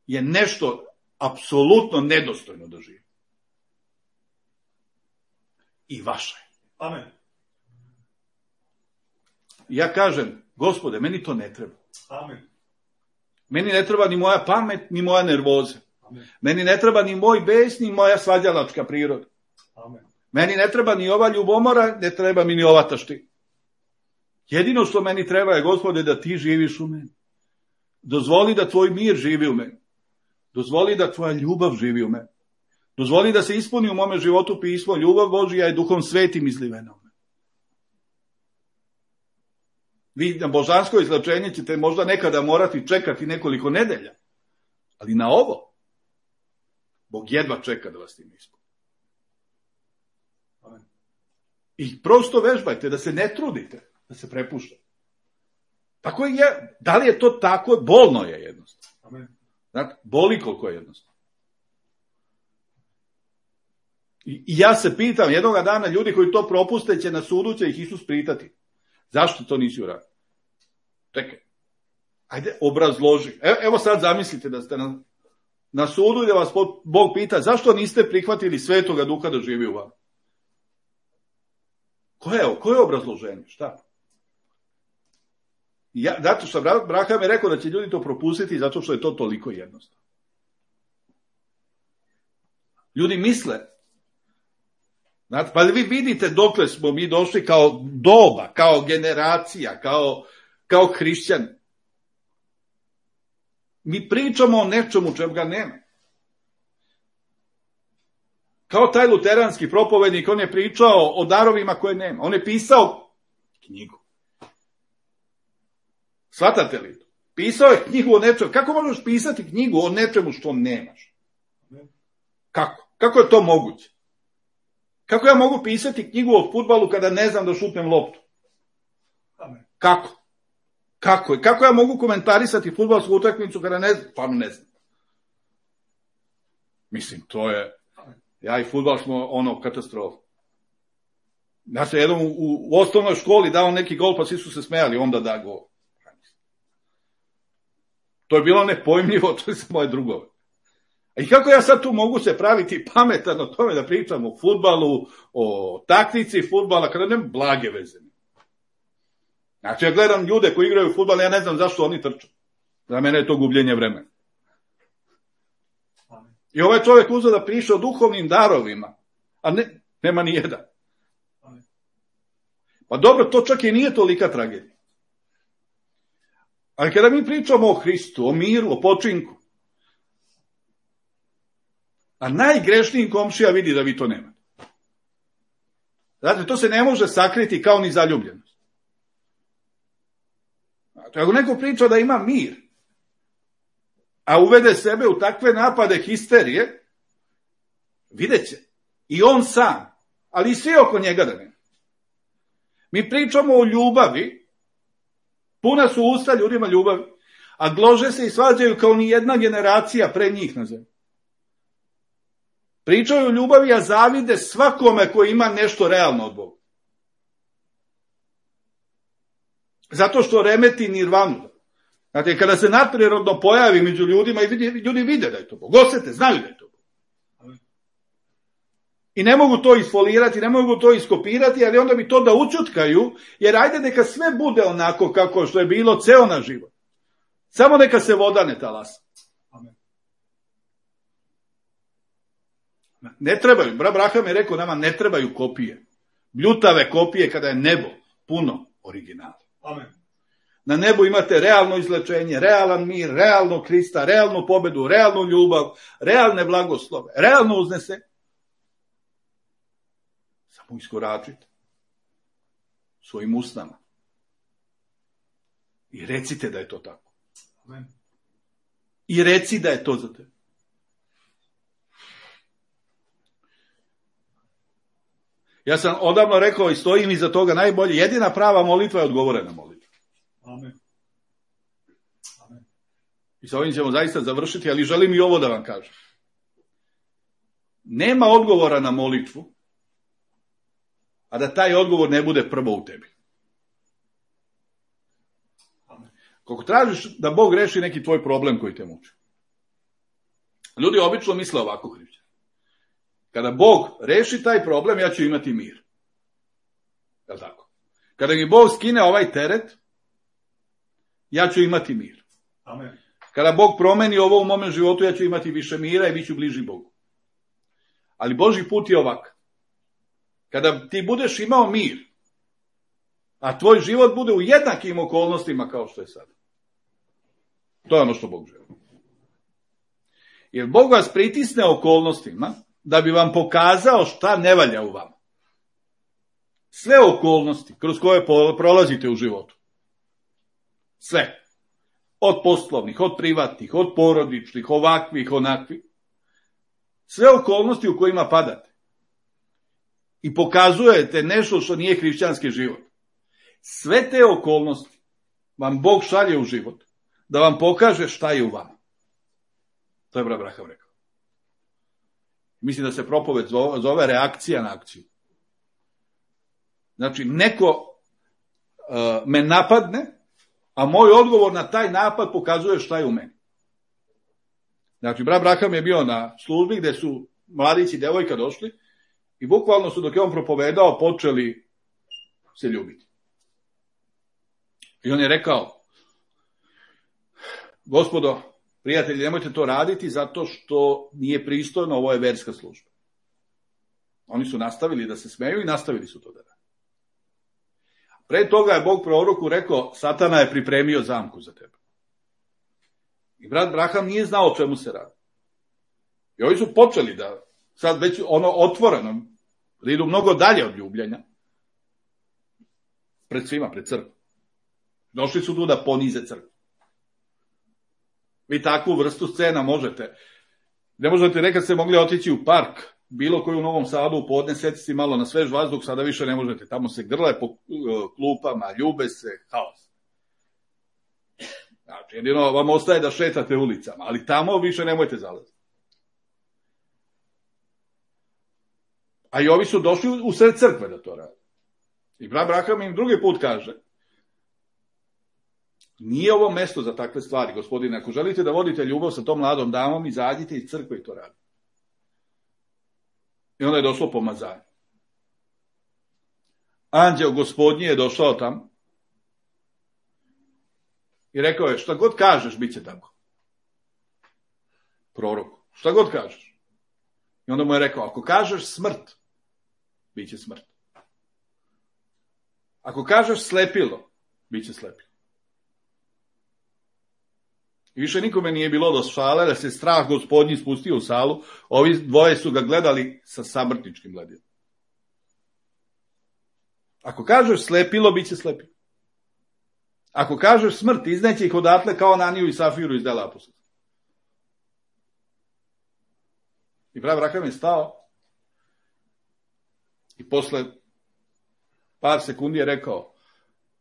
je nešto apsolutno nedostojno da živi. I vaša je. Amen. Ja kažem: Gospode, meni to ne treba. Amen. Meni ne treba ni moja pamet, ni moja nervoza. Amen. Meni ne treba ni moj bes, ni moja svađalačka priroda. Amen. Meni ne treba ni ova ljubomora, ne treba mi ni ova taština. Jedino što meni treba je, Gospode, da ti živiš u meni. Dozvoli da tvoj mir živi u meni. Dozvoli da tvoja ljubav živi u meni. Dozvoli da se ispuni u mome životu pismo: ljubav Božja je duhom svetim izlivena u meni. Vi na božansko izlečenje ćete možda nekada morati čekati nekoliko nedelja. Ali na ovo Bog jedva čeka da vas tim ispuni. I prosto vežbajte, da se ne trudite, da se prepuštate. Tako je, da li je to tako? Bolno je jednostavno. Amen. Znate, boli koliko je jednostavno. I, I ja se pitam, jednoga dana ljudi koji to propuste će na sudu, će ih Isus pitati: zašto to nisi uradio? Čekaj, ajde obrazloži. Evo, evo sad zamislite da ste na, na sudu i da vas Bog pita: zašto niste prihvatili Svetoga Duha da živi u vama? Koje je, koje je obrazloženje? Šta? Ja, zato što Abraham je rekao da će ljudi to propustiti zato što je to toliko jednostavno. Ljudi misle, znate, pa vi vidite dokle smo mi došli kao doba, kao generacija, kao, kao hrišćani. Mi pričamo o nečemu čemu ga nema. Kao taj luteranski propovednik, on je pričao o darovima koje nema. On je pisao knjigu. Shvatate li to? Pisao je knjigu o nečemu. Kako možeš pisati knjigu o nečemu što nemaš? Kako? Kako je to moguće? Kako ja mogu pisati knjigu o fudbalu kada ne znam da šutnem loptu? Kako? Kako? Kako ja mogu komentarisati fudbalsku utakmicu kada ne znam? Pa ne znam. Mislim, to je... Ja i fudbal smo ono katastrofa. Ja se jednom u, u osnovnoj školi dao neki gol, pa svi su se smejali, onda da gol. To je bilo nepojmljivo, to je za moje drugove. I kako ja sad tu mogu se praviti pametan o tome da pričam o fudbalu, o taktici fudbala, kada nemam blage veze. Znači, ja gledam ljude koji igraju fudbal, ja ne znam zašto oni trču. Za mene je to gubljenje vremena. I ovaj čovjek uzeo da priča o duhovnim darovima, a ne, nema ni jedan. Pa dobro, to čak i nije tolika tragedija. Ali kada mi pričamo o Hristu, o miru, o počinku, a najgrešniji komšija vidi da vi to nemate. Znate, to se ne može sakriti kao ni zaljubljenost. Znači, ako neko priča da ima mir, a uvede sebe u takve napade histerije, vidjet će. I on sam, ali i svi oko njega da nema. Mi pričamo o ljubavi, puna su usta ljudima ljubavi, a glože se i svađaju kao ni jedna generacija pre njih na zemlji. Pričaju o ljubavi, a zavide svakome koji ima nešto realno od Boga. Zato što remeti nirvanu. Znate, kada se nadprirodno pojavi među ljudima, i ljudi vide da je to Bog, osete, znaju da je to Bog. I ne mogu to isfolirati, ne mogu to iskopirati, ali onda bi to da učutkaju, jer ajde neka sve bude onako kako što je bilo ceo naš život. Samo neka se voda ne talasa. Ne trebaju, brat Braham je rekao nama, ne trebaju kopije. Bljutave kopije kada je nebo puno originala. Amen. Na nebu imate realno izlečenje, realan mir, realno Krista, realnu pobedu, realnu ljubav, realne blagoslove, realno uznese. Samo iskoračite svojim usnama i recite da je to tako. Amen. I reci da je to za tebe. Ja sam odavno rekao i stojim iza toga najbolje, jedina prava molitva je odgovorena molitva. Amen. Amen. I sa ovim ćemo zaista završiti, ali želim i ovo da vam kažem. Nema odgovora na molitvu, a da taj odgovor ne bude prvo u tebi. Amen. Kako tražiš da Bog reši neki tvoj problem koji te muči. Ljudi obično misle ovako, hrišćani. Kada Bog reši taj problem, ja ću imati mir. Je li tako? Kada mi Bog skine ovaj teret, ja ću imati mir. Amen. Kada Bog promeni ovo u mome životu, ja ću imati više mira i bit ću bliži Bogu. Ali Božji put je ovak. Kada ti budeš imao mir, a tvoj život bude u jednakim okolnostima kao što je sad. To je ono što Bog želi. Jer Bog vas pritisne okolnostima da bi vam pokazao šta ne valja u vama. Sve okolnosti kroz koje prolazite u životu. Sve. Od poslovnih, od privatnih, od porodičnih, ovakvih, onakvih. Sve okolnosti u kojima padate. I pokazujete nešto što nije hrišćanski život. Sve te okolnosti vam Bog šalje u život da vam pokaže šta je u vama. To je brat Braham rekao. Mislim da se propoved zove reakcija na akciju. Znači, neko uh, me napadne, a moj odgovor na taj napad pokazuje šta je u meni. Znači, brat Braham je bio na službi gde su mladići i devojka došli i bukvalno su dok je on propovedao počeli se ljubiti. I on je rekao, gospodo, prijatelji, nemojte to raditi zato što nije pristojno, ovo je verska služba. Oni su nastavili da se smeju i nastavili su to da rade. Pre toga je Bog proroku rekao, Satana je pripremio zamku za tebe. I brat Braham nije znao o čemu se radi. I ovi su počeli da, sad već ono otvoreno, da idu mnogo dalje od ljubljenja, pred svima, pred crkvom. Došli su tu da ponize crkvu. Vi takvu vrstu scena možete. Ne možete, nekad ste mogli otići u park, bilo koji u Novom Sadu, u podne, setiti malo na svež vazduh, sada više ne možete. Tamo se grle po klupama, ljube se, haos. Znači, jedino vam ostaje da šetate ulicama, ali tamo više nemojte zalaziti. A i ovi su došli u sred crkve da to rade. I brat Braham im drugi put kaže, Nije ovo mesto za takve stvari, gospodine. Ako želite da vodite ljubav sa tom mladom damom, izađite iz crkve i to radite. I onda je došlo pomazanje. Anđeo gospodnji je došao tamo i rekao je, šta god kažeš, bit će tako. Proroku, šta god kažeš. I onda mu je rekao, ako kažeš smrt, bit će smrt. Ako kažeš slepilo, bit će slepilo. I više nikome nije bilo do šale, da se strah gospodnji spustio u salu, ovi dvoje su ga gledali sa samrtničkim gledom. Ako kažeš slepilo, bit će slepilo. Ako kažeš smrt, izneće ih odatle kao Ananiju i Safiru iz dela apostolskih. I pravi Abraham je stao i posle par sekundi je rekao,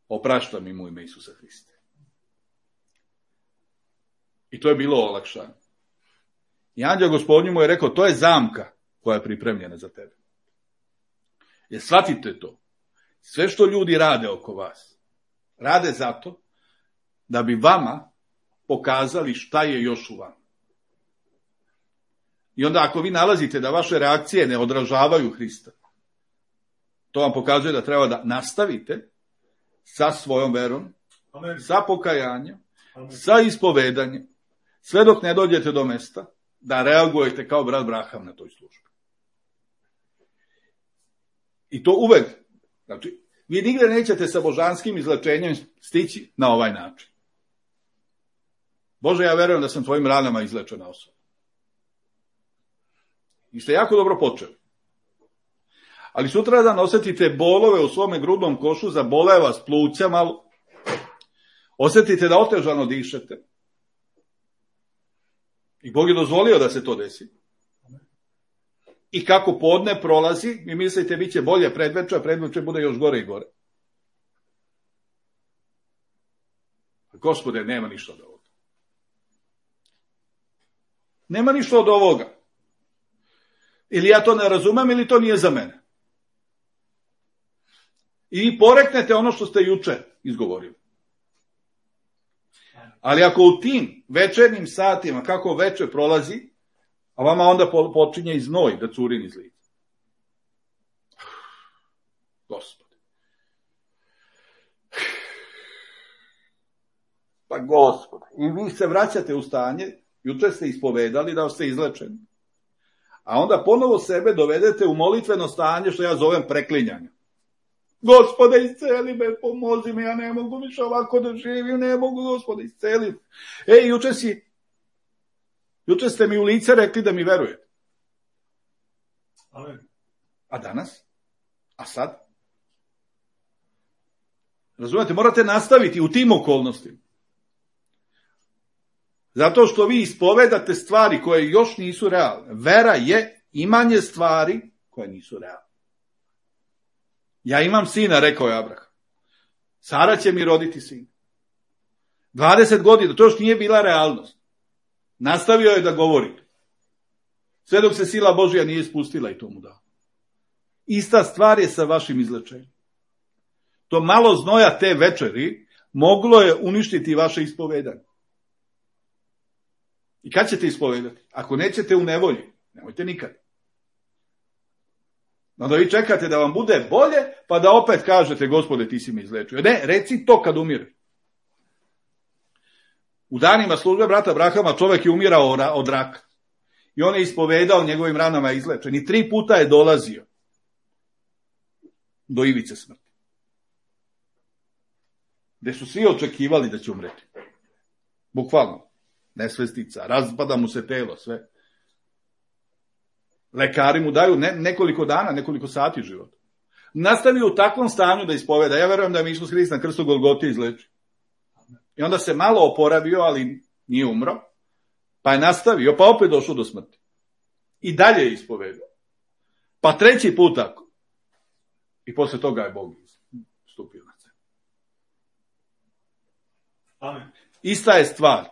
opraštam im u ime Isusa Hrista. I to je bilo olakšanje. I anđeo gospodnju mu je rekao, to je zamka koja je pripremljena za tebe. Jer shvatite to. Sve što ljudi rade oko vas, rade zato da bi vama pokazali šta je još u vama. I onda ako vi nalazite da vaše reakcije ne odražavaju Hrista, to vam pokazuje da treba da nastavite sa svojom verom, Amen. Sa pokajanjem, Amen. Sa ispovedanjem, sve dok ne dođete do mesta da reagujete kao brat Braham na toj službi. I to uvek. Znači, vi nigde nećete sa božanskim izlečenjem stići na ovaj način. Bože, ja verujem da sam tvojim ranama izlečena osoba. I ste jako dobro počeli. Ali sutradan osjetite bolove u svome grudnom košu, zabole vas pluća malo, osjetite da otežano dišete. I Bog je dozvolio da se to desi. I kako podne prolazi, vi mislite bit će bolje predveče, a predveče bude još gore i gore. Gospode, nema ništa od ovoga. Nema ništa od ovoga. Ili ja to ne razumem, ili to nije za mene. I poreknete ono što ste juče izgovorili. Ali ako u tim večernjim satima, kako veče prolazi, a vama onda počinje i znoj da curi niz lica. Gospode. Pa Gospode. I vi se vraćate u stanje, juče ste ispovedali da ste izlečeni. A onda ponovo sebe dovedete u molitveno stanje što ja zovem preklinjanje. Gospode, isceli me, pomozi me, ja ne mogu više ovako da živim, ne mogu, Gospode, isceli. Ej, juče si, juče ste mi u lice rekli da mi verujete. Amen. A danas? A sad? Razumete, morate nastaviti u tim okolnostima. Zato što vi ispovedate stvari koje još nisu realne. Vera je imanje stvari koje nisu realne. Ja imam sina, rekao je Abraham. Sara će mi roditi sin. dvadeset godina, to još nije bila realnost. Nastavio je da govori. Sve dok se sila Božja nije spustila i to mu dao. Ista stvar je sa vašim izlečenjem. To malo znoja te večeri moglo je uništiti vaše ispovedanje. I kad ćete ispovedati? Ako nećete u nevolji, nemojte nikad. Onda vi čekate da vam bude bolje, pa da opet kažete, Gospode, ti si me izlečio. Ne, reci to kad umire. U danima službe brata Brahama čovjek je umirao od raka. I on je ispovedao, njegovim ranama je izlečen. I tri puta je dolazio do ivice smrti. Gde su svi očekivali da će umreti. Bukvalno. Nesvestica, razpada mu se telo, sve. Lekari mu daju ne, nekoliko dana, nekoliko sati života. Nastavio u takvom stanju da ispoveda. Ja verujem da mi Isus Hrist na krstu Golgote izleči. I onda se malo oporavio, ali nije umro. Pa je nastavio, pa opet došao do smrti. I dalje je ispovedao. Pa treći put tako. I posle toga je Bog stupio na scenu. Amen. Ista je stvar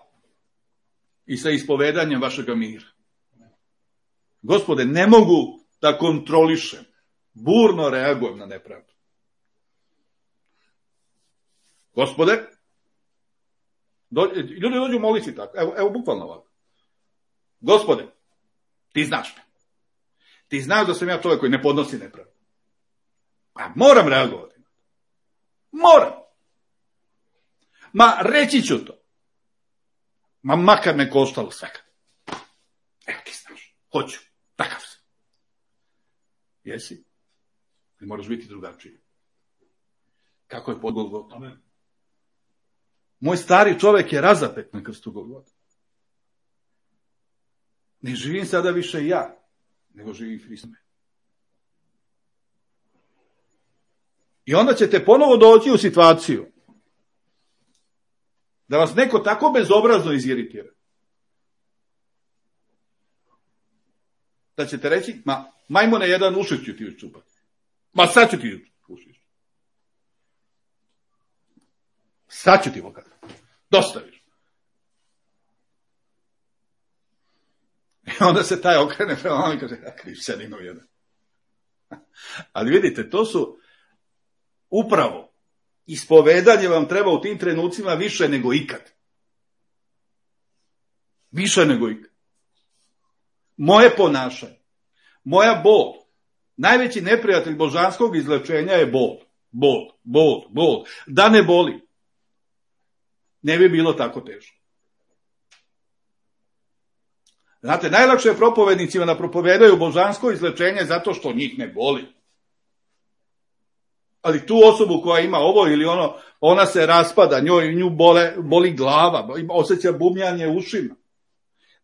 i sa ispovedanjem vašega mira. Gospode, ne mogu da kontrolišem, burno reagujem na nepravdu. Gospode, Do, ljudi dođu moliti tako, evo, evo bukvalno ovako. Gospode, ti znaš me. Ti znaš da sam ja čovjek koji ne podnosi nepravdu. Pa moram reagovati. Moram. Ma reći ću to. Ma makar me koštalo svega. Evo ti znaš. Hoću. Takav sam. Jesi? I moraš biti drugačiji. Kako je pod Golgotom? Amen. Moj stari čovjek je razapet na krstu Golgota. Ne živim sada više ja, nego živim Hristos. I onda ćete ponovo doći u situaciju da vas neko tako bezobrazno iziritira. Da ćete reći, ma, majmune jedan ušić ću ti učupati. Ma sad ću ti ušić. Sad ću ti pokazati. Dosta više. I onda se taj okrene prema vama i kaže, a hrišćaninu jedan. Ali vidite, to su upravo ispovedanje vam treba u tim trenucima više nego ikad. Više nego ikad. Moje ponašanje, moja bol, najveći neprijatelj božanskog izlečenja je bol. Bol, bol, bol. Da ne boli, ne bi bilo tako teško. Znate, najlakše je propovednicima da propovedaju božansko izlečenje zato što njih ne boli. Ali tu osobu koja ima ovo ili ono, ona se raspada, njoj nju bole, boli glava, osjeća bubnjanje ušima.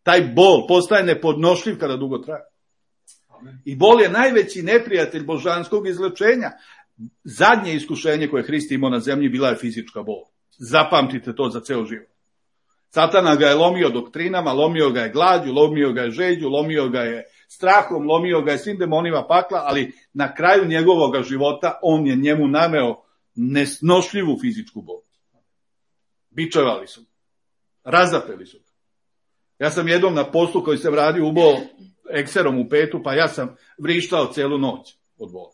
Taj bol postaje nepodnošljiv kada dugo traje. I bol je najveći neprijatelj božanskog izlečenja. Zadnje iskušenje koje Hrist imao na zemlji bila je fizička bol. Zapamtite to za ceo život. Satana ga je lomio doktrinama, lomio ga je glađu, lomio ga je žeđu, lomio ga je strahom, lomio ga je svim demonima pakla, ali na kraju njegovog života on je njemu naneo nesnošljivu fizičku bol. Bičevali su, razapeli su. Ja sam jednom na poslu koji sam radio ubao ekserom u petu, pa ja sam vrištao celu noć od bola.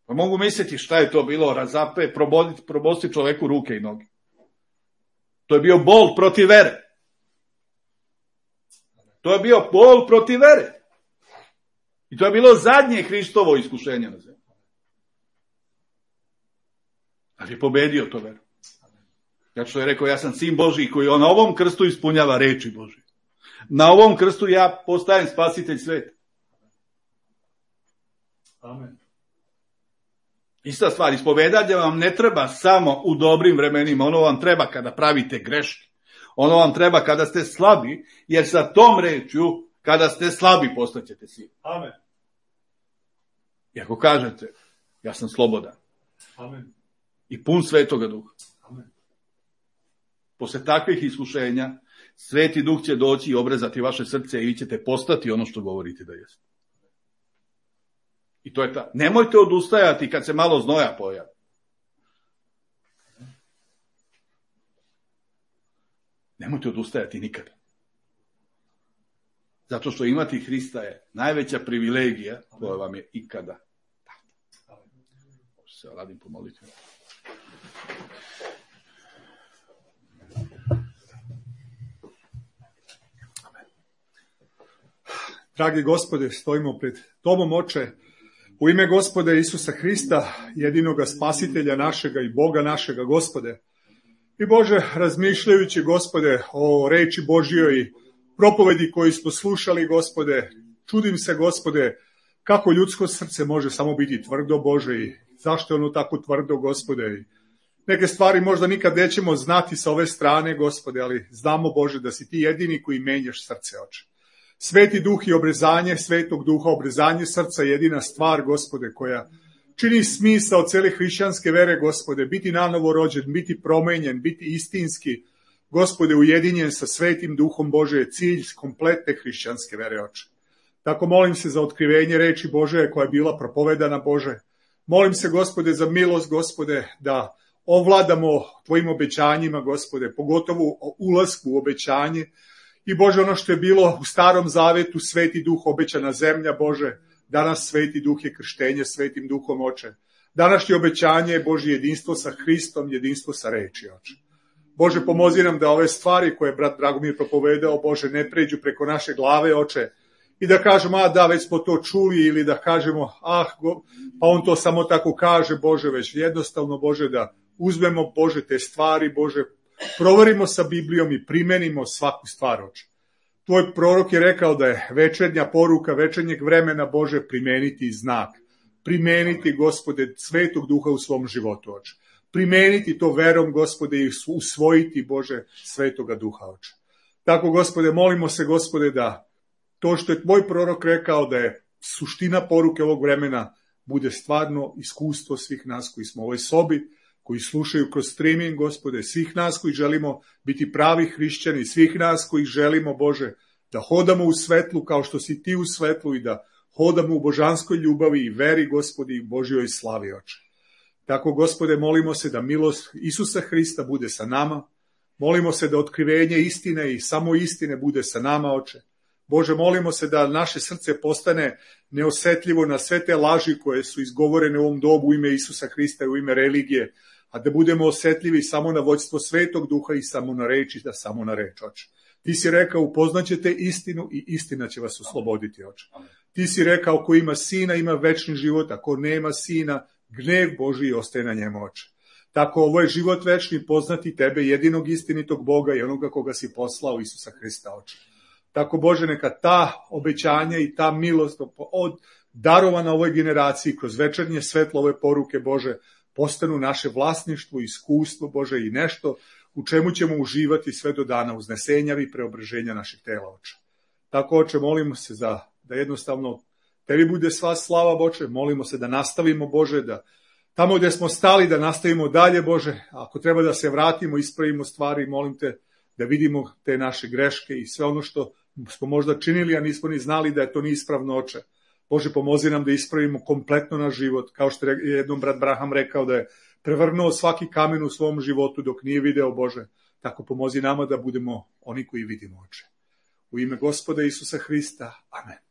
Pa mogu misliti šta je to bilo, razape, proboditi, probosti čoveku ruke i noge. To je bio bol protiv vere. To je bio bol protiv vere. I to je bilo zadnje Hristovo iskušenje na zemlji. Ali je pobedio to veru. Ja što je rekao, ja sam sin Božji koji na ovom krstu ispunjava reči Božje. Na ovom krstu ja postajem spasitelj sveta. Amen. Ista stvar, ispovedanje vam ne treba samo u dobrim vremenima, ono vam treba kada pravite greške. Ono vam treba kada ste slabi, jer sa tom rečju, kada ste slabi, postaćete silni. Amen. I ako kažete, ja sam slobodan. Amen. I pun Svetoga Duha. Amen. Posle takvih iskušenja, Sveti Duh će doći i obrezati vaše srce i vi ćete postati ono što govorite da jeste. I to je ta. Nemojte odustajati kad se malo znoja pojavi. Nemojte odustajati nikada. Zato što imati Hrista je najveća privilegija koja vam je ikada. Možete se radim pomoliti. Dragi Gospode, stojimo pred Tobom, Oče, u ime Gospoda Isusa Hrista, jedinoga spasitelja našega i Boga našega, Gospode. I Bože, razmišljajući, Gospode, o reči Božjoj i propovedi koju smo slušali, Gospode, čudim se, Gospode, kako ljudsko srce može samo biti tvrdo, Bože, i zašto je ono tako tvrdo, Gospode. I neke stvari možda nikad nećemo znati sa ove strane, Gospode, ali znamo, Bože, da si ti jedini koji menjaš srce, Oče. Sveti Duh i obrezanje Svetog Duha, obrezanje srca je jedina stvar, Gospode, koja čini smisao cele hrišćanske vere, Gospode, biti nanovo rođen, biti promenjen, biti istinski, Gospode, ujedinjen sa Svetim Duhom Bože je cilj kompletne hrišćanske vere, Oče. Tako molim se za otkrivenje reči Bože koja je bila propovedana, Bože. Molim se, Gospode, za milost, Gospode, da ovladamo Tvojim obećanjima, Gospode, pogotovo o ulasku u obećanje. I Bože, ono što je bilo u Starom Zavetu, Sveti Duh, obećana zemlja, Bože, danas Sveti Duh je krštenje Svetim Duhom, Oče. Današnje obećanje je, Bože, jedinstvo sa Hristom, jedinstvo sa reči, Oče. Bože, pomozi nam da ove stvari koje je brat Dragomir propovedao, Bože, ne pređu preko naše glave, Oče, i da kažemo, a da, već smo to čuli, ili da kažemo, ah, go, pa on to samo tako kaže, Bože, već jednostavno, Bože, da uzmemo, Bože, te stvari, Bože, proverimo sa Biblijom i primenimo svaku stvar, Oče. Tvoj prorok je rekao da je večernja poruka večernjeg vremena, Bože, primeniti znak. Primeniti, Gospode, Svetog Duha u svom životu, Oče. Primeniti to verom, Gospode, i usvojiti, Bože, Svetoga Duha, Oče. Tako, Gospode, molimo se, Gospode, da to što je tvoj prorok rekao da je suština poruke ovog vremena bude stvarno iskustvo svih nas koji smo u ovoj sobi, koji slušaju kroz streaming, Gospode, svih nas koji želimo biti pravi hrišćani, svih nas koji želimo, Bože, da hodamo u svetlu kao što si ti u svetlu i da hodamo u božanskoj ljubavi i veri, Gospodi, i Božjoj slavi, Oče. Tako, Gospode, molimo se da milost Isusa Hrista bude sa nama, molimo se da otkrivenje istine i samo istine bude sa nama, Oče. Bože, molimo se da naše srce postane neosetljivo na sve te laži koje su izgovorene u ovom dobu u ime Isusa Hrista i u ime religije, a da budemo osetljivi samo na vođstvo Svetog Duha i samo na reči, da samo na reč, Oče. Ti si rekao, upoznaćete istinu i istina će vas osloboditi, Oče. Ti si rekao, ko ima sina, ima večni život, ako nema sina, gnev Božji ostaje na njemu, Oče. Tako ovo je život večni, poznati tebe, jedinog istinitog Boga i onoga koga si poslao, Isusa Hrista, Oče. Tako, Bože, neka ta obećanja i ta milost od darovana ovoj generaciji kroz večernje svetlo ove poruke, Bože, postanu naše vlasništvo, iskustvo, Bože, i nešto u čemu ćemo uživati sve do dana uznesenja i preobraženja naših tela, Oče. Tako, Oče, molimo se za, da jednostavno tebi bude sva slava, Bože, molimo se da nastavimo, Bože, da tamo gdje smo stali da nastavimo dalje, Bože, ako treba da se vratimo, ispravimo stvari, molim te da vidimo te naše greške i sve ono što smo možda činili, a nismo ni znali da je to neispravno, Oče. Bože, pomozi nam da ispravimo kompletno naš život, kao što je jednom brat Braham rekao da je prevrnuo svaki kamen u svom životu dok nije video, Bože. Tako pomozi nama da budemo oni koji vidimo, Oče. U ime Gospoda Isusa Hrista. Amen.